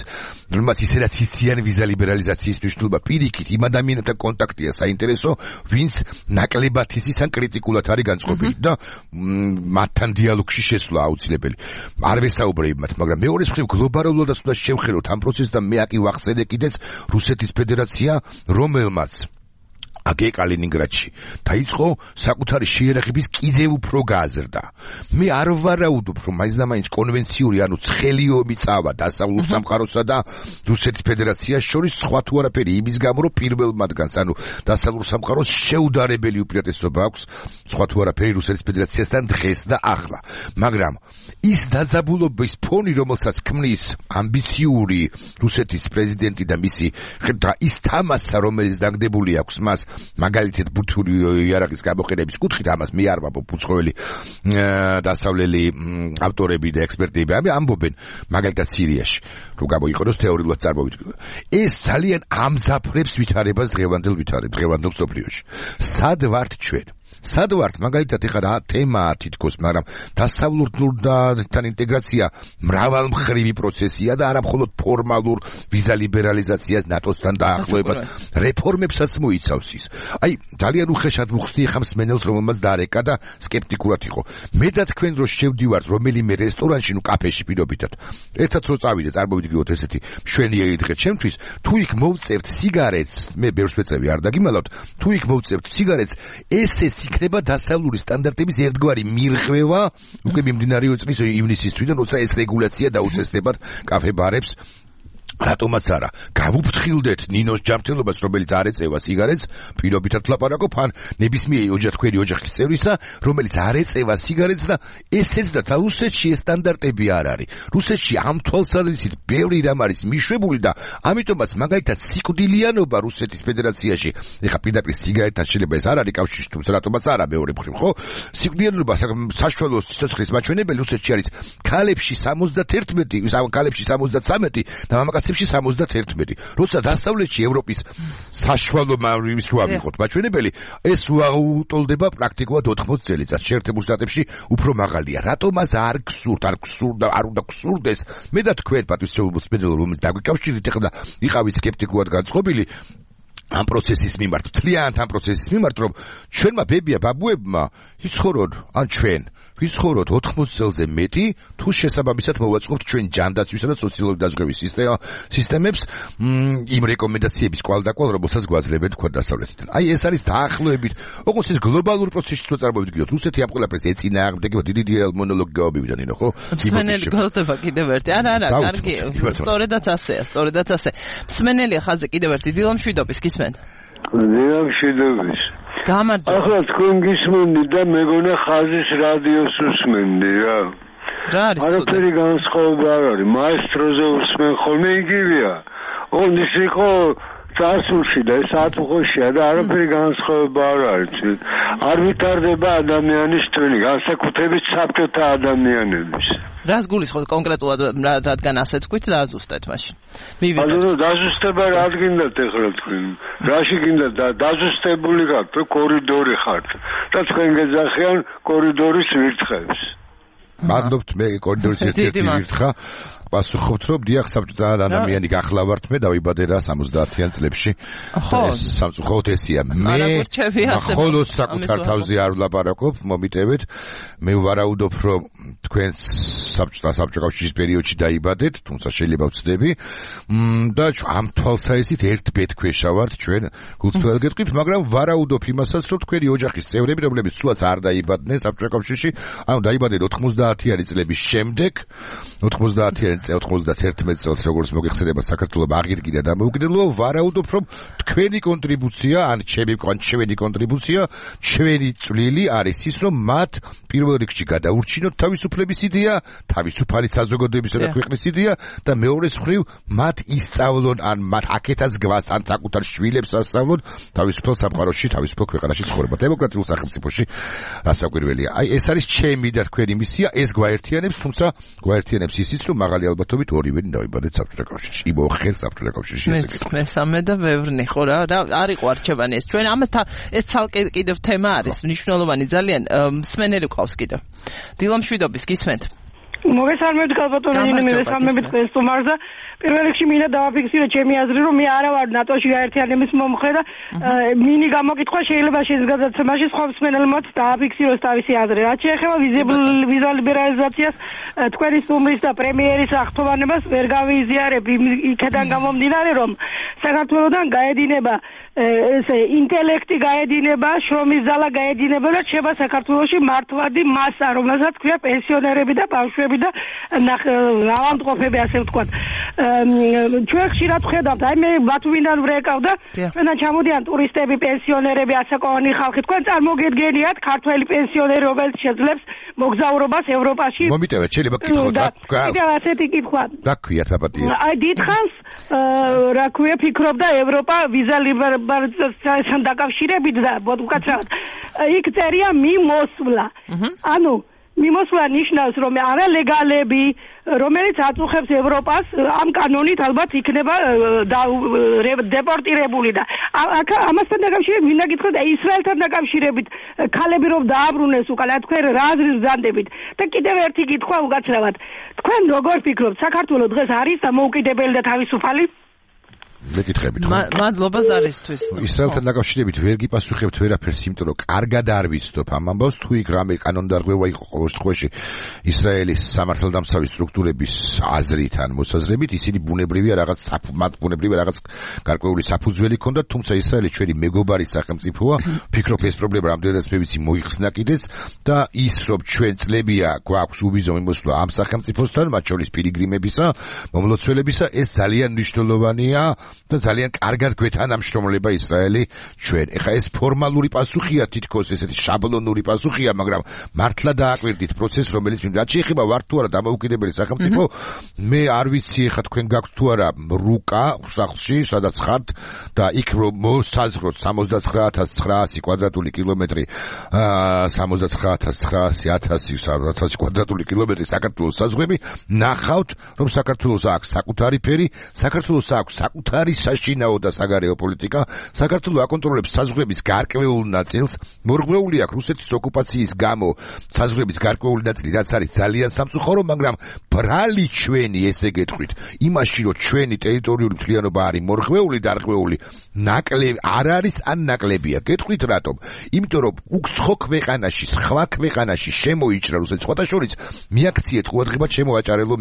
ისედაც იციან ვიზა ლიბერალიზაციის მნიშვნელობა. პირიქით იმ ადამიანებთან კონტაქტია საინტერესო, ვინც ნაკლებად იცის ან კრიტიკულად არის განწყობილი და მათთან დიალოგში შესვლა აუცილებელი. არ ვესაუბრებ მათ, მაგრამ მეორეს მხრივ გლობალურადაც უნდა შევხედოთ ამ პროცესს და მე აკი ვახსენე კიდეც რუსეთის ფედერაცია, რომელმაც აგე კალინინგრადში დაიწყო საკუთარი შეიარაღების კიდევ უფრო გააზრდა. მე არ ვარაუდობ, რომ მაინც და მაინც კონვენციური, ანუ ცხელი ომი წავა დასავლურ სამყაროსა და რუსეთის ფედერაციას შორის, სხვა თუ არაფერი იმის გამო, რომ პირველ მათგანს, ანუ დასავლურ სამყაროს შეუდარებელი უპირატესობა აქვს, სხვა თუ არაფერი რუსეთის ფედერაციასთან დღეს და ახლა. მაგრამ ის დაძაბულობის ფონი, რომელსაც ქმნის ამბიციური რუსეთის პრეზიდენტი და მისი ის თამასა, რომელიც დაგდებული აქვს მას მაგალითად ბურთული იარაღის გამოყენების კუთხით, ამას მე არ ვამბობ, უცხოელი დასავლელი ავტორები და ექსპერტები ამბობენ, მაგალითად სირიაში, რომ გამოიყენოს თეორიულად წარმოებით. ეს ძალიან ამძაფრებს ვითარებას დღევანდელ მსოფლიოში. სად ვართ ჩვენ? სად ვართ მაგალითად ეხლა რა თემაა თითქოს, მაგრამ დასავლურთან ინტეგრაცია მრავალმხრივი პროცესია და არა მხოლოდ ფორმალურ ვიზა ლიბერალიზაციას, ნატოსთან დაახლოებას, რეფორმებსაც მოიცავს ის. აი, ძალიან უხეშად ვუხსნი ხა მსმენელს, რომელმაც დარეკა და სკეპტიკურად იყო. მე და თქვენ რო შევდივართ რომელიმე რესტორანში, ნუ კაფეში პირობითად. ერთად რო წავიდეთ, არ მოვიდგინოთ ესეთი მშვენიერი დღე ჩემთვის, თუ იქ მოვწევთ სიგარეტს, მე ბევრს ვეწევი, არ დაგიმალავთ, თუ იქ მოვწევთ სიგარეტს, ესეც იქნება დასავლური სტანდარტების ერთგვარი მირღვევა, უკვე მიმდინარეო წლის ივნისისთვიდან, როცა ეს რეგულაცია დაუწესდებათ კაფე-ბარებს. რატომაც არა, გავუფრთხილდეთ ნინოს ჯანმრთელობას, რომელიც არ ეწევა სიგარეტს, პირობითად ვლაპარაკობ, ან ნებისმიერი თქვენი ოჯახის წევრისა, რომელიც არ ეწევა სიგარეტს და ესეც და რუსეთში ეს სტანდარტები არ არის. რუსეთში ამ თვალსაზრისით ბევრი რამ არის მიშვებული და ამიტომაც მაგალითად სიკვდილიანობა რუსეთის ფედერაციაში, ეხლა პირდაპირ სიგარეტთან შეიძლება ეს არ არის კავშირში, თუმცა რატომაც არა მეორე მხრივ, ხო? სიკვდილიანობა საშუალო სიცოცხლის მაჩვენებელი რუსეთში არის ქალებში 71, ქალებში 73 და მამაკაცებში 71. როცა დასავლეთში ევროპის საშუალო მამრის რო ავიღოთ მაჩვენებელი, ეს უუტოლდება პრაქტიკულად 80 წელიწადს. შეერთებულ შტატებში უფრო მაღალია. რატომაც არ უნდა გსურდეს. მე და თქვენ პატრიციულ სპეციალურ რომელიც დაგვიკავშირეთ ეხლა იყავით სკეპტიკულად განწყობილი ამ პროცესის მიმართ, მთლიანად ამ პროცესის მიმართ, რომ ჩვენმა ბებია ბაბუებმა იცხოვრონ, ან ჩვენ ვიცხოვროთ 80 წელზე მეტი, თუ შესაბამისად მოვაწყობთ ჩვენ ჯანდაცვისა და სოციალური დაზღვევის სისტემებს იმ რეკომენდაციების კვალდაკვალ, რომელსაც გვაძლევენ თქვენ დასავლეთიდან. აი ეს არის დაახლოებით, ოღონდ ეს გლობალური პროცესის რო წარმოვიდგინოთ, რუსეთი ამ ყველაფერს ეწინააღმდეგება, დიდი მონოლოგი გავაბივიდან, ხო? მსმენელი გველდება კიდევ ერთი. არა, კარგი, სწორედაც ასეა. მსმენელია ხაზზე კიდევ ერთი დილამშვიდობის გისმენთ. დილამშვიდობის. ახლა თქვენ გისმენდი და მეგონა ხაზის რადიოს უსმენდი რა. რა არის? არაფერი განსხვავება არ არის. მაესტროზე უსმენ ხოლმე იგივეა. ოღონდ ის იყო წარსულში და ეს ატუხოშია და არაფერი განსხვავება არ არის. არ ვითარდება ადამიანის თვენი, განსაკუთრებით საბჭოთა ადამიანების. რას გულისხმობთ კონკრეტულად, რადგან ასე თქვით და აზუსტეთ მაშინ. მივიღეთ. დაზუსტება რა გინდათ ეხლა თქვენ? რაში გინდათ დაზუსტებული ხართ, კორიდორი ხართ და თქვენ გეძახიან კორიდორის ვირთხებს. მადლობთ, მე კორიდორის ერთ-ერთი ვირთხა. პასუხობთ, რომ დიახ, საბჭოთა ადამიანი გახლავართ, მე დავიბადე რა 70-იან წლებში. ეს სამწუხაროდ ესია. მე მხოლოდ საკუთარ თავზე არ ვლაპარაკობ, მომიტევეთ. მე ვარაუდობ, რომ თქვენ საბჭოთა კავშირის პერიოდში დაიბადეთ, თუმცა შეიძლება ვცდები. და ამ თვალსაზრისით ერთ ბედქვეშა ვართ ჩვენ გულწრფელ გეტყვით, მაგრამ ვარაუდობ იმასაც, რომ თქვენი ოჯახის წევრები, რომლებიც სულაც არ დაიბადნენ საბჭოთა კავშირში, ანუ დაიბადნენ 90-იანი წლების შემდეგ, 91 წელს როგორც მოგეხსენება საქართველოს აღირგიდა და მოუგდელო, ვარაუდობ, რომ თქვენი კონტრიბუცია, ან ჩვენი კონტრიბუცია, ჩვენი წვლილი არის ის, რომ მათ პირველ რიგში გადაურჩინოთ თავისუფლების იდეა, თავისუფალი საზოგადოებისა და ქვეყნის იდეა და მეორე მხრივ მათ ისწავლონ, ან მათ აქეთაც გვას, ან საკუთარ შვილებს ასწავლონ თავისუფალ სამყაროში, თავისუფალ ქვეყანაში ცხოვრება, დემოკრატიულ სახელმწიფოში რასაკვირველია. აი ეს არის ჩემი და თქვენი მისია, ეს გვაერთიანებს, თუმცა გვაერთიანებს ისიც, რომ მაღალი ალბათობით ორივენი დავიბადეთ საბჭოთა კავშირში. იმოხერ საბჭოთა კავშირში ესე. მესამე და ბევრნი ხო რა, არ იყო არჩევანი ეს. ჩვენ ამასთან ეს ცალკე კიდევ თემა არის, მნიშვნელოვანი ძალიან. მსმენელი ყავს კიდევ. დილამშვიდობის გისმენთ. მოგესალმებით გალბატონო ნინო, მესამებით სტუმარზე. პირველ რიგში მინდა დავაფიქსირო ჩემი აზრი, რომ მე არა ვარ ნატოში გაერთიანების მომხრე და მინი გამოკითხვა შეიძლება შენს გადაცემაში სხვა მსმენელმაც დააფიქსიროს თავისი აზრი. რაც შეეხება ვიზა ლიბერალიზაციას, თქვენი სტუმრის და პრემიერის აღთქმანებას ვერ გავიზიარებ იქიდან გამომდინარე, რომ საქართველოსთან გაედინება ესე ინტელექტი გაედინება, შრომის ზალა გაედინება და შეება საქართველოში მართვადი მასა, რომელსაც ქვია პენსიონერები და ბავშვები და ავადმყოფები, ასე ვთქვათ. ჩვენ ხშირად ვხედავთ, აი მე ბათუმიდან ვრეკავ და ჩვენთან ჩამოდიან ტურისტები, პენსიონერები, ასაკოვანი ხალხი. თქვენ წარმოგედგენიათ ქართველი პენსიონერი, რომელიც შეძლებს მოგზაურობას ევროპაში? მომიტევეთ, შეიძლება კითხოთ რა. კიდევ ასეთი კითხვა. დაგქვიათ აპატიე. აი დიდხანს რა ქვია ფიქრობდა ევროპა ვიზა ლიბერალიზაციასთან დაკავშირებით და უკაცრავად იქ წერია მიმოსვლა. ანუ მიმოსვლა ნიშნავს, რომ არალეგალები, რომელიც აწუხებს ევროპას, ამ კანონით ალბათ იქნება დეპორტირებული და ამასთან დაკავშირებით მინდა გითხრათ, ისრაელთან დაკავშირებით ქალები რომ დააბრუნეს უკან, თქვენ რა აზრის ბრძანდებით და კიდევ ერთი კითხვა უკაცრავად. თქვენ როგორ ფიქრობთ, საქართველოს დღეს არის დამოუკიდებელი და თავისუფალი? მეკითხებით. მადლობა ზარისთვის. ისრაელთან დაკავშირებით ვერ გიპასუხებთ ვერაფერს, იმიტომ რომ კარგად არ ვიცნობ ამ ამბავს, თუ იქ რამე კანონდარღვევა იყო ყოველ შემთხვევაში ისრაელის სამართალდამცავი სტრუქტურების აზრით ან მოსაზრებით, ისინი ბუნებრივია რაღაც გარკვეული საფუძველი ჰქონდათ, თუმცა ისრაელი ჩვენი მეგობარი სახელმწიფოა, ფიქრობ ეს პრობლემა რამდენადაც მე ვიცი მოიხსნა კიდეც და ის რომ ჩვენ წლებია გვაქვს უბიზო მიმოსვლა ამ სახელმწიფოსთან, მათ შორის პილიგრიმებისა, მომლოცველებისა, ეს ძალიან მნიშვნელოვანია. და ძალიან კარგად გვეთანამშრომლება ისრაელი ჩვენ. ეხლა ეს ფორმალური პასუხია, თითქოს ესეთი შაბლონური პასუხია, მაგრამ მართლა დააკვირდით პროცესს, რომელიც რაც შეეხება ვარ თუ არა დამოუკიდებელი სახელმწიფო, მე არ ვიცი ეხლა თქვენ გაქვთ თუ არა რუკა სახლში, სადაც ხართ და იქ რომ მოსაზღვროთ 79900 კვადრატული კილომეტრი, 79900 კვადრატული კილომეტრი საქართველოს საზღვრები, ნახავთ, რომ საქართველოს აქვს საკუთარი ფერი, საქართველოს აქვს საკუთარი საშინაო და საგარეო პოლიტიკა, საქართველოს აკონტროლებს საზღვრების გარკვეულ ნაწილს, მორღვეული აქვს რუსეთის ოკუპაციის გამო საზღვრების გარკვეული ნაწილი, რაც არის ძალიან სამწუხარო, მაგრამ ბრალი ჩვენი, ესე გეტყვით, იმაში რომ ჩვენი ტერიტორიული მთლიანობა არის მორღვეული და არღვეული, ნაკლები არ არის ან ნაკლებია. გეტყვით რატომ? იმიტომ რომ უცხო ქვეყანაში, სხვა ქვეყანაში შემოიჭრა რუსეთის სხვათა შორის მიაქციეთ ყურადღება ჩემო აჭარელო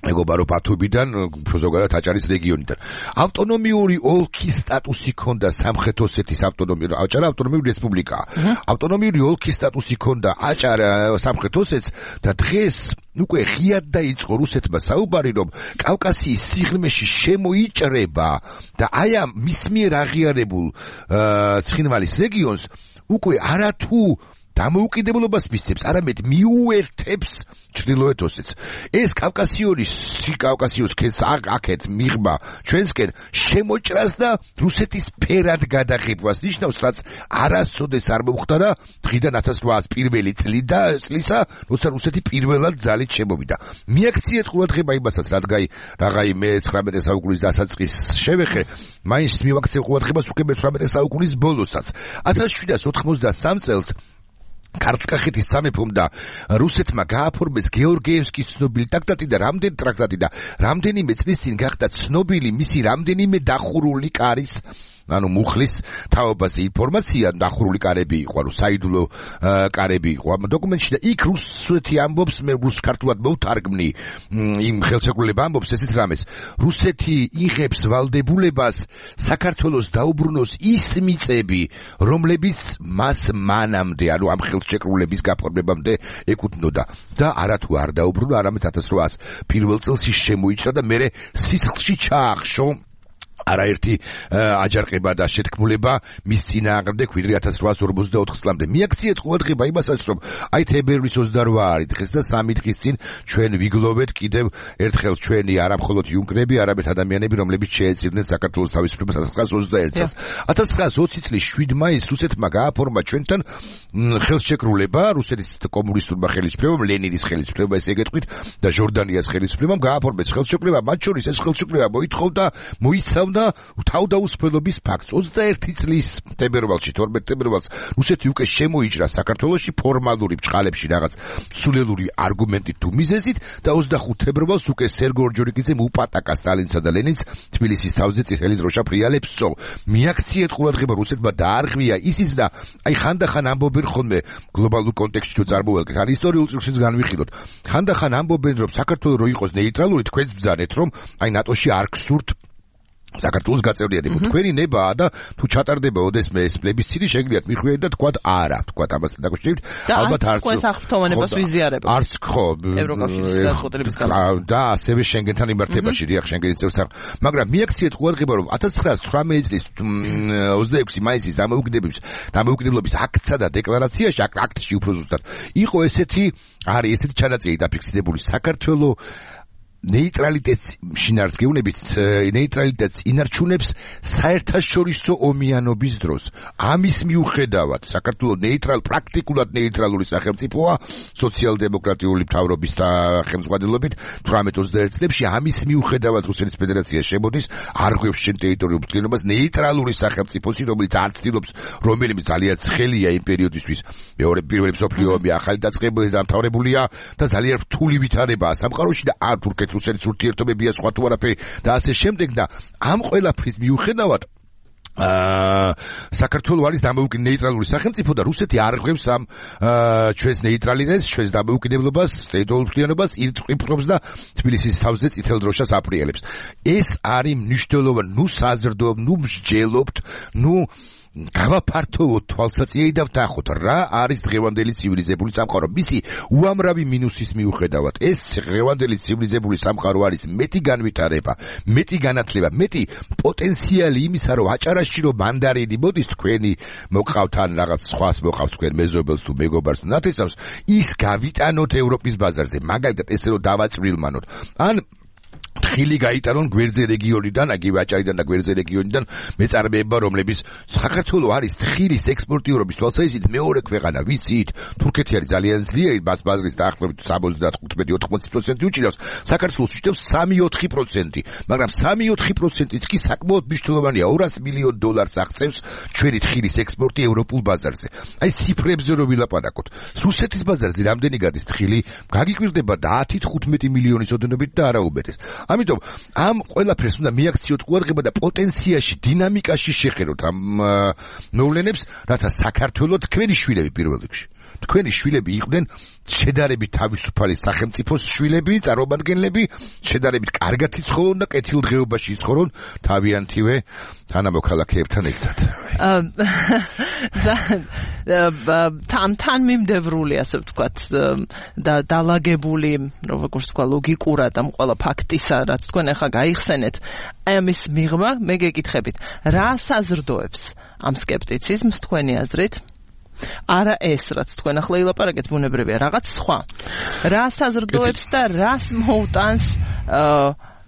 მეგობარო პათუბიდან, ზოგადად აჭარის რეგიონიდან. ავტონომიური ოლქის სტატუსი ჰქონდა სამხრეთ ოსეთის აჭარა ავტონომიური რესპუბლიკაა. ავტონომიური ოლქის სტატუსი ჰქონდა აჭარა სამხრეთ ოსეთს და დღეს უკვე ღიად დაიწყო რუსეთმა საუბარი, რომ კავკასიის სიღრმეში შემოიჭრება და აი ამ მის მიერ აღიარებულ ცხინვალის რეგიონს უკვე არათუ დამოუკიდებლობას მისცემს, არამედ მიუერთებს ჩრდილოეთ ოსეთს. ეს კავკასიოს ქედს აქეთ მიღმა ჩვენსკენ შემოჭრას და რუსეთის ფერად გადაღებვას ნიშნავს, რაც არასოდეს არ მომხდარა დღიდან 1801 წლისა, როცა რუსეთი პირველად ძალით შემოვიდა. მიაქციეთ ყურადღება იმასაც, რაღაცაიმე 19 საუკუნის დასაწყის შევეხე, მაინც მივაქცევ ყურადღებას უკვე 18 საუკუნის ბოლოსაც. 1793 წელს ქართლ-კახეთის სამეფომ და რუსეთმა გააფორმეს გეორგიევსკის ცნობილი ტრაქტატი და რამდენიმე წლის წინ გახდა ცნობილი მისი რამდენიმე დახურული კარის, ანუ მუხლის თაობაზე ინფორმაცია, დახურული კარები იყო, ანუ საიდუმლო კარები იყო ამ დოკუმენტში და იქ რუსეთი ამბობს, მე რუს-ქართულად მოვთარგმნი, იმ ხელშეკრულება ამბობს ესეთ რამეს, რუსეთი იღებს ვალდებულებას საქართველოს დაუბრუნოს ის მიწები, რომლებიც მას მანამდე, ანუ ამ ხელშეკრულების გაფორმებამდე ეკუთვნოდა და არათუ არ დაუბრუნა, არამედ 1801 წელს შემოიჭრა და მერე სისხლში ჩაახშო არაერთი აჯანყება და შეთქმულება მის წინააღმდეგ ვიდრე 1844 წლამდე. მიაქციეთ ყურადღება იმასაც, რომ აი თებერვლის 28 არის დღეს და 3 დღის წინ ჩვენ ვიგლოვეთ კიდევ ერთხელ ჩვენი არამხოლოდ იუნკერები, არამედ ადამიანები, რომლებიც შეეწირნენ საქართველოს თავისუფლებას 1921 წელს. 1920 წლის 7 მაისს რუსეთმა გააფორმა ჩვენთან ხელშეკრულება, რუსეთის კომუნისტურმა ხელისუფლებამ, ლენინის ხელისუფლებამ, ესე გეტყვით, და ჟორდანიას ხელისუფლებამ გააფორმეს ხელშეკრულება, მათ შორის ეს ხელშეკრულება მოიცავდა თავდაუსაფრობის ფაქტს. 21 წლის თებერვალში, 12 თებერვალს რუსეთი უკვე შემოიჭრა საქართველოში ფორმალური ბჭყალებში რაღაც სულელური არგუმენტით თუ მიზეზით და 25 თებერვალს უკვე სერგო ორჯონიკიძემ უპატაკა სტალინსა და ლენინს თბილისის თავზე წითელი დროშა ფრიალებსო. მიაქციეთ ყურადღება, რუსეთმა დაარღვია ისიც და აი ხანდახან ამბობენ ხოლმე გლობალურ კონტექსტში თუ წარმოვალგეთ, ან ისტორიულ წიგნშიც განვიხილოთ. ხანდახან ამბობენ, რომ საქართველოს რო იყოს ნეიტრალური, თქვენც ბრძანეთ, რომ აი ნატოში არ გსურთ საქართველოს გაწევრიანება. თქვენი ნებაა და თუ ჩატარდება ოდესმე ეს პლებისციტი, შეგიძლიათ მიხვიეთ და თქვათ არა, თქვათ ამასთან დაკავშირებით. ალბათ არც თქვენ საფრთხოვნებას ვიზიარებთ. არც ხო. ევროკავშირის გადაწყვეტილების გამო. და ასევე შენგენთან იმართებაში, დიახ, შენგენის წევრთან. მაგრამ მიაქციეთ ყურადღება, რომ 1918 წლის 26 მაისის დამოუკიდებლობის აქტსა და დეკლარაციაში, აქტში უფრო ზუსტად, იყო ესეთი ჩანაწერი დაფიქსირებული საქართველოს ნეიტრალიტეტს შინაარს გეუბნებით, ნეიტრალიტეტს ინარჩუნებს საერთაშორისო ომიანობის დროს. ამის მიუხედავად, საქართველოს პრაქტიკულად ნეიტრალური სახელმწიფოა სოციალ-დემოკრატიული მთავრობის ხელმძღვანელობით 18-21 წლებში. ამის მიუხედავად რუსეთის ფედერაცია შემოდის, არ ღვევს შენ ტერიტორიულ მთლიანობას, ნეიტრალური სახელმწიფოსი, რომელიც არ ცდილობს, რომელიც ძალიან ცხელია იმ პერიოდისთვის, პირველი მსოფლიო ომი ახალი დამთავრებულია და ძალიან რთული ვითარებაა სამყაროში და არ თურქეთ-რუსეთის ურთიერთობებია სხვა თუ არაფერი და ასე შემდეგ და ამ ყველაფრის მიუხედავად საქართველოს არის დამოუკიდებელი ნეიტრალური სახელმწიფო და რუსეთი არ ღვევს ამ ჩვენს ნეიტრალიტეტს, ჩვენს დამოუკიდებლობას, ტერიტორიულ მთლიანობას, ირწყვიბრობს და თბილისის თავზე წითელ დროშას აფრიალებს. ეს არის მნიშვნელოვანი, საზრდოობ, მსჯელობთ, გავაფართოვოთ თვალსაჩინო და ვთანხოთ რა არის დღევანდელი ცივილიზებული სამყარო. მისი უამრავი მინუსის მიუხედავად ეს დღევანდელი ცივილიზებული სამყარო არის მეტი განვითარება, მეტი განათლება, მეტი პოტენციალი იმისა, რომ აჭარაში რომ მანდარინი მოდის თქვენი მოყავთ ან რაღაც სხვას მოყავთ თქვენ მეზობელს თუ მეგობარს თუ ნათესავს, ის გავიტანოთ ევროპის ბაზარზე. მაგალითად ესე რომ დავაწვრილმანოთ. ან თხილი გაიტანონ გვერდზე რეგიონიდან, აგივე აჭარიდან და გვერდზე რეგიონიდან მეწარმეება, რომლების საქართველოს არის თხილის ექსპორტიორობის თვალსაზრისით მეორე ქვეყანა, ვიცით, თურქეთი არის ძალიან ძლიერი ბაზრის დაახლოებით 75-80% უჭირავს, საქართველოს უჭირავს 3-4%, მაგრამ 3-4%-იც კი საკმაოდ მნიშვნელოვანია, $200 მილიონ აღწევს ჩვენი თხილის ექსპორტი ევროპულ ბაზარზე. აი ციფრებზე რომ ვილაპარაკოთ, რუსეთის ბაზარზე რამდენი გადის თხილი, გაგიკვირდება 10-15 მილიონის ოდენობით და არა უბედეს. ამიტომ ამ ყველაფერს უნდა მიაქციოთ ყურადღება და პოტენციაში, დინამიკაში შეხედოთ ამ მოვლენებს, რათა საქართველოს თქვენი შვილები პირველ რიგში. თქვენი შვილები იყვნენ შედარებით თავისუფალი სახელმწიფოს შვილები, წარმომადგენლები, შედარებით კარგად იცხოვრონ და კეთილდღეობაში იცხოვრონ თავიანთივე თანამოქალაქეებთან ერთად. თან მიმდევრული, ასე ვთქვათ, და დალაგებული, როგორც თქვა, ლოგიკურად ამ ყველა ფაქტისა, რაც თქვენ ახლა გაიხსენეთ, აი ამის მიღმა მე გეკითხებით, რა საზრდოებს ამ სკეპტიციზმს თქვენი აზრით? არა ეს, რაც თქვენ ახლა ილაპარაკეთ, ბუნებრივია, რაღაც სხვა. რა საზრდოებს და რას მოუტანს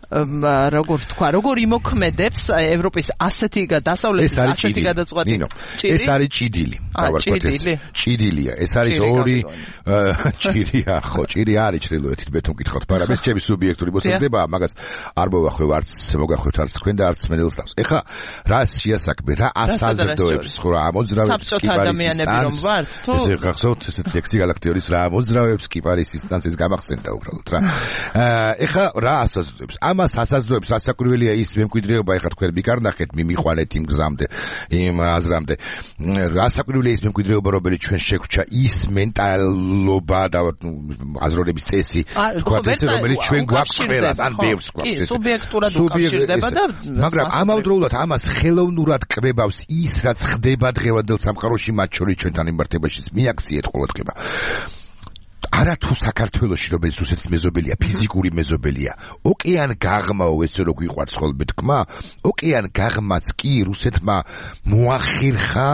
როგორ თქვა, როგორ იმოქმედებს ევროპის ასეთი დასავლეთის ასეთი გადაწყვეტი. ეს არის ჭიდილი. ჭიდილია. ეს არის ორი ჭირია, ხო, ჭირი არის ჩრდილოეთით, მე თუ მკითხავთ, მაგრამ ეს ჩემი სუბიექტური მოსაზრებაა, მაგას არ მოვახვევ, არც მოგახვევთ არც თქვენ და არც მენელს თავს. ეხლა რა შეასაქმე, რა ასაზრდოებს, ხო რა ამოძრავებს საბჭოთა ადამიანები რომ ვართ, თუ ესე გახსოვთ ეს ლექსი გალაქტიორის რა ამოძრავებს კიპარის ინსტანციის გამახსენდა უბრალოდ რა. ეხლა რა ასაზრდოებს? ამას ასაზრდოებს ასაკურველია ის მემკვიდრეობა, ეხლა თქვენ მიკარნახეთ, მიმიყვანეთ იმ გზამდე, იმ აზრამდე. ასაკურველია ის მემკვიდრეობა, რომელიც ჩვენ შეგვჭა, ის მენტალობა და აზროვნების წესი, თქვა ესე, რომელიც ჩვენ გვაქვს ყველას, ან ბევრს გვაქვს ესე. სუბიექტურად უკავშირდება და მაგრამ ამავდროულად ამას ხელოვნურად კვებავს ის, რაც ხდება დღევანდელ სამყაროში, მათ შორის ჩვენთან იმართებაში მიაქციეთ ყურადღება. არათუ საქართველოში, რომელიც რუსეთის მეზობელია, ფიზიკური მეზობელია, ოკეან გაღმაო, ესე რო გვიყვარს ხოლმე თქმა, ოკეან გაღმაც კი რუსეთმა მოახერხა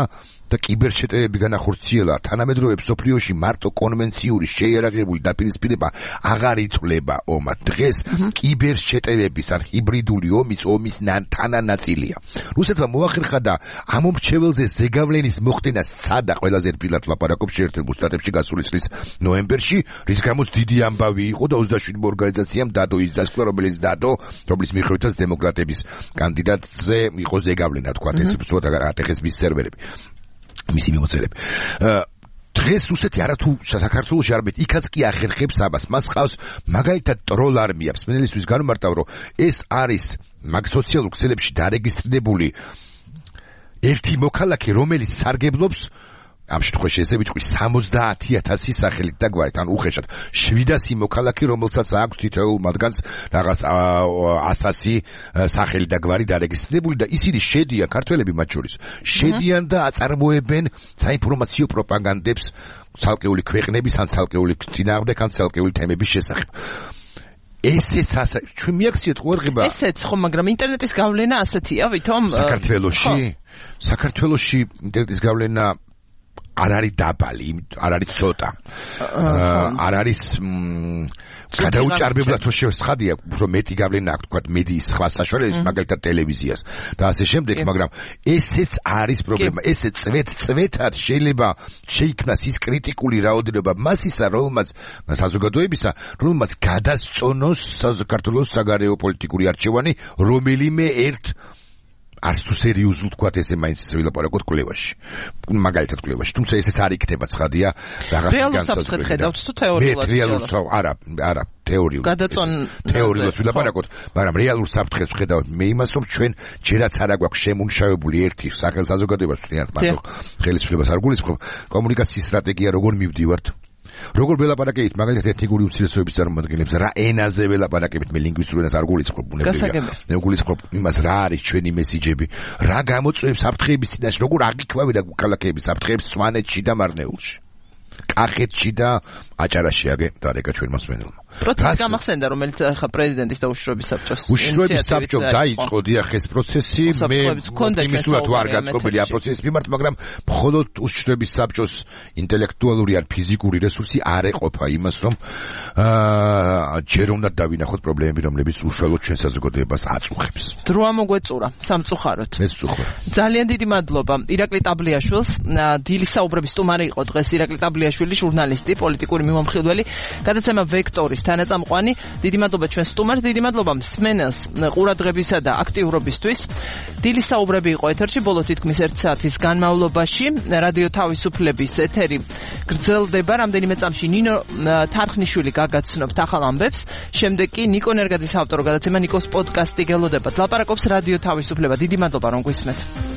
და კიბერშეტევები განახორციელა. თანამედროვე მსოფლიოში მარტო კონვენციური შეიარაღებული დაპირისპირება აღარ იწვლება ომად. დღეს კიბერშეტევების ან ჰიბრიდული ომის თანანაწილია. რუსეთმა მოახერხა და ამომრჩეველზე ზეგავლენის მოხდენა სცადა, ყველაზე რბილად ლაპარაკობ შეერთებულ შტატებში გასული წლის ნოემბერში, რის გამოც დიდი ამბავი იყო და 27 ორგანიზაციამ დადო ის დასკვნა, რომელიც დადო, რომლის მიხედვითაც დემოკრატების კანდიდატზე იყო ზეგავლენა, თქვა ეს უცბად ატეხეს მის სერვერები. მისი მიმოწერები. დღეს რუსეთი არათუ საქართველოში არამედ იქაც კი ახერხებს ამას. მას ყავს მაგალითად ტროლ არმია. მსმენელისთვის განმარტავ, რომ ეს არის მაგ სოციალურ ქსელებში დარეგისტრირებული ერთი მოქალაქე, რომელიც სარგებლობს ამ შემთხვევაში ესე ვიტყვი 70,000 სახელით და გვარით, ან უხეშად 700 მოქალაქე, რომელსაც აქვს თითოეულ მათგანს რაღაც 100 სახელი და გვარი დარეგისტრირებული და ისინი შედიან, ქართველები მათ შორის, შედიან და აწარმოებენ საინფორმაციო პროპაგანდებს ცალკეული ქვეყნების ან ცალკეული წინააღმდეგ ან ცალკეული თემების შესახებ. ესეც ჩვენ მიაქციეთ ყურადღება. ესეც ხო, მაგრამ ინტერნეტის გავლენა ასეთია, ვითომ საქართველოში ინტერნეტის გავლენა არ არის დაბალი, არ არის ცოტა. არ არის გადაუჭარბებლად რო შეცხადია, უფრო მეტი გავლენა აქვს თქვა მედიის სხვა საშუალებას, მაგალითად ტელევიზიას და ასე შემდეგ, მაგრამ ესეც არის პრობლემა. ესე წვეთად შეიძლება შეიქმნას ის კრიტიკული რაოდენობა მასისა, რომელმაც საზოგადოებისა, რომელმაც გადასწონოს საქართველოს საგარეო პოლიტიკური არჩევანი რომელიმე ერთ არც თუ სერიოზულ თქვათ ესე მაინც ვილაპარაკოთ კვლევაში. მაგალითად კვლევაში. თუმცა ესეც არ იქნება ცხადია რაღაცის რეალურ საფრთხეს ხედავთ თუ თეორიულად? არა, თეორიულად ვილაპარაკოთ, მაგრამ რეალურ საფრთხეს ვხედავთ მე იმას, რომ ჩვენ ჯერაც არ აგვაქვს შემუშავებული ერთი საზოგადოებას ვთქვათ, მარტო ხელისუფლებას არ გულისხმობ, კომუნიკაციის სტრატეგია როგორ მივდივართ. როგორ ველაპარაკებით მაგალითად ეთნიკური უმცირესობების წარმომადგენლებს, რა ენაზე ველაპარაკებით, მე ლინგვისტურ ენას არ გულისხმობ, მე გულისხმობ იმას, რა არის ჩვენი მესიჯები, რა გამოწვევს საფრთხეების წინაშე, როგორ აღიქვამენ ქალაქების საფრთხეებს სვანეთში და მარნეულში, კახეთში და აჭარაში დარეკა ჩვენ მასვენელმა. პროცესი გამახსენდა, რომელიც ახლა პრეზიდენტის და უშიშროების საბჭოს უშიშროების საბჭომ დაიწყო დიახ ეს პროცესი, მე იმისულად ვარ გაწყობილი ამ პროცესის მიმართ, მაგრამ მხოლოდ უშიშროების საბჭოს ინტელექტუალური ან ფიზიკური რესურსი არ ეყოფა იმას, რომ ჯერ უნდა დავინახოთ პრობლემები, რომლებიც უშუალოდ ჩვენ საზოგადოებას აწუხებს. დრო ამოგვეწურა სამწუხაროდ. მეც ვწუხარ. ძალიან დიდი მადლობა ირაკლი ტაბლიაშვილს, დილის საუბრების სტუმარი იყო დღეს ირაკლი ტაბლიაშვილი, ჟურნალისტი, პოლიტიკური მიმომხილველი, გადაცემა ვექტორის თანაწამყვანი. დიდი მადლობა ჩვენ სტუმარს, დიდი მადლობა მსმენელს ყურადღებისა და აქტიურობისთვის. დილის საუბრები იყო ეთერში ბოლო თითქმის 1 საათის განმავლობაში. რადიო თავისუფლების ეთერი გრძელდება. რამდენიმე წამში ნინო თარხნიშვილი გაგაცნობთ ახალ ამბებს. შემდეგ კი ნიკო ნერგაძის ავტორო გადაცემა ნიკოს პოდკასტი გელოდებათ. ლაპარაკობს რადიო თავისუფლება. დიდი მადლობა რომ გვისმენთ.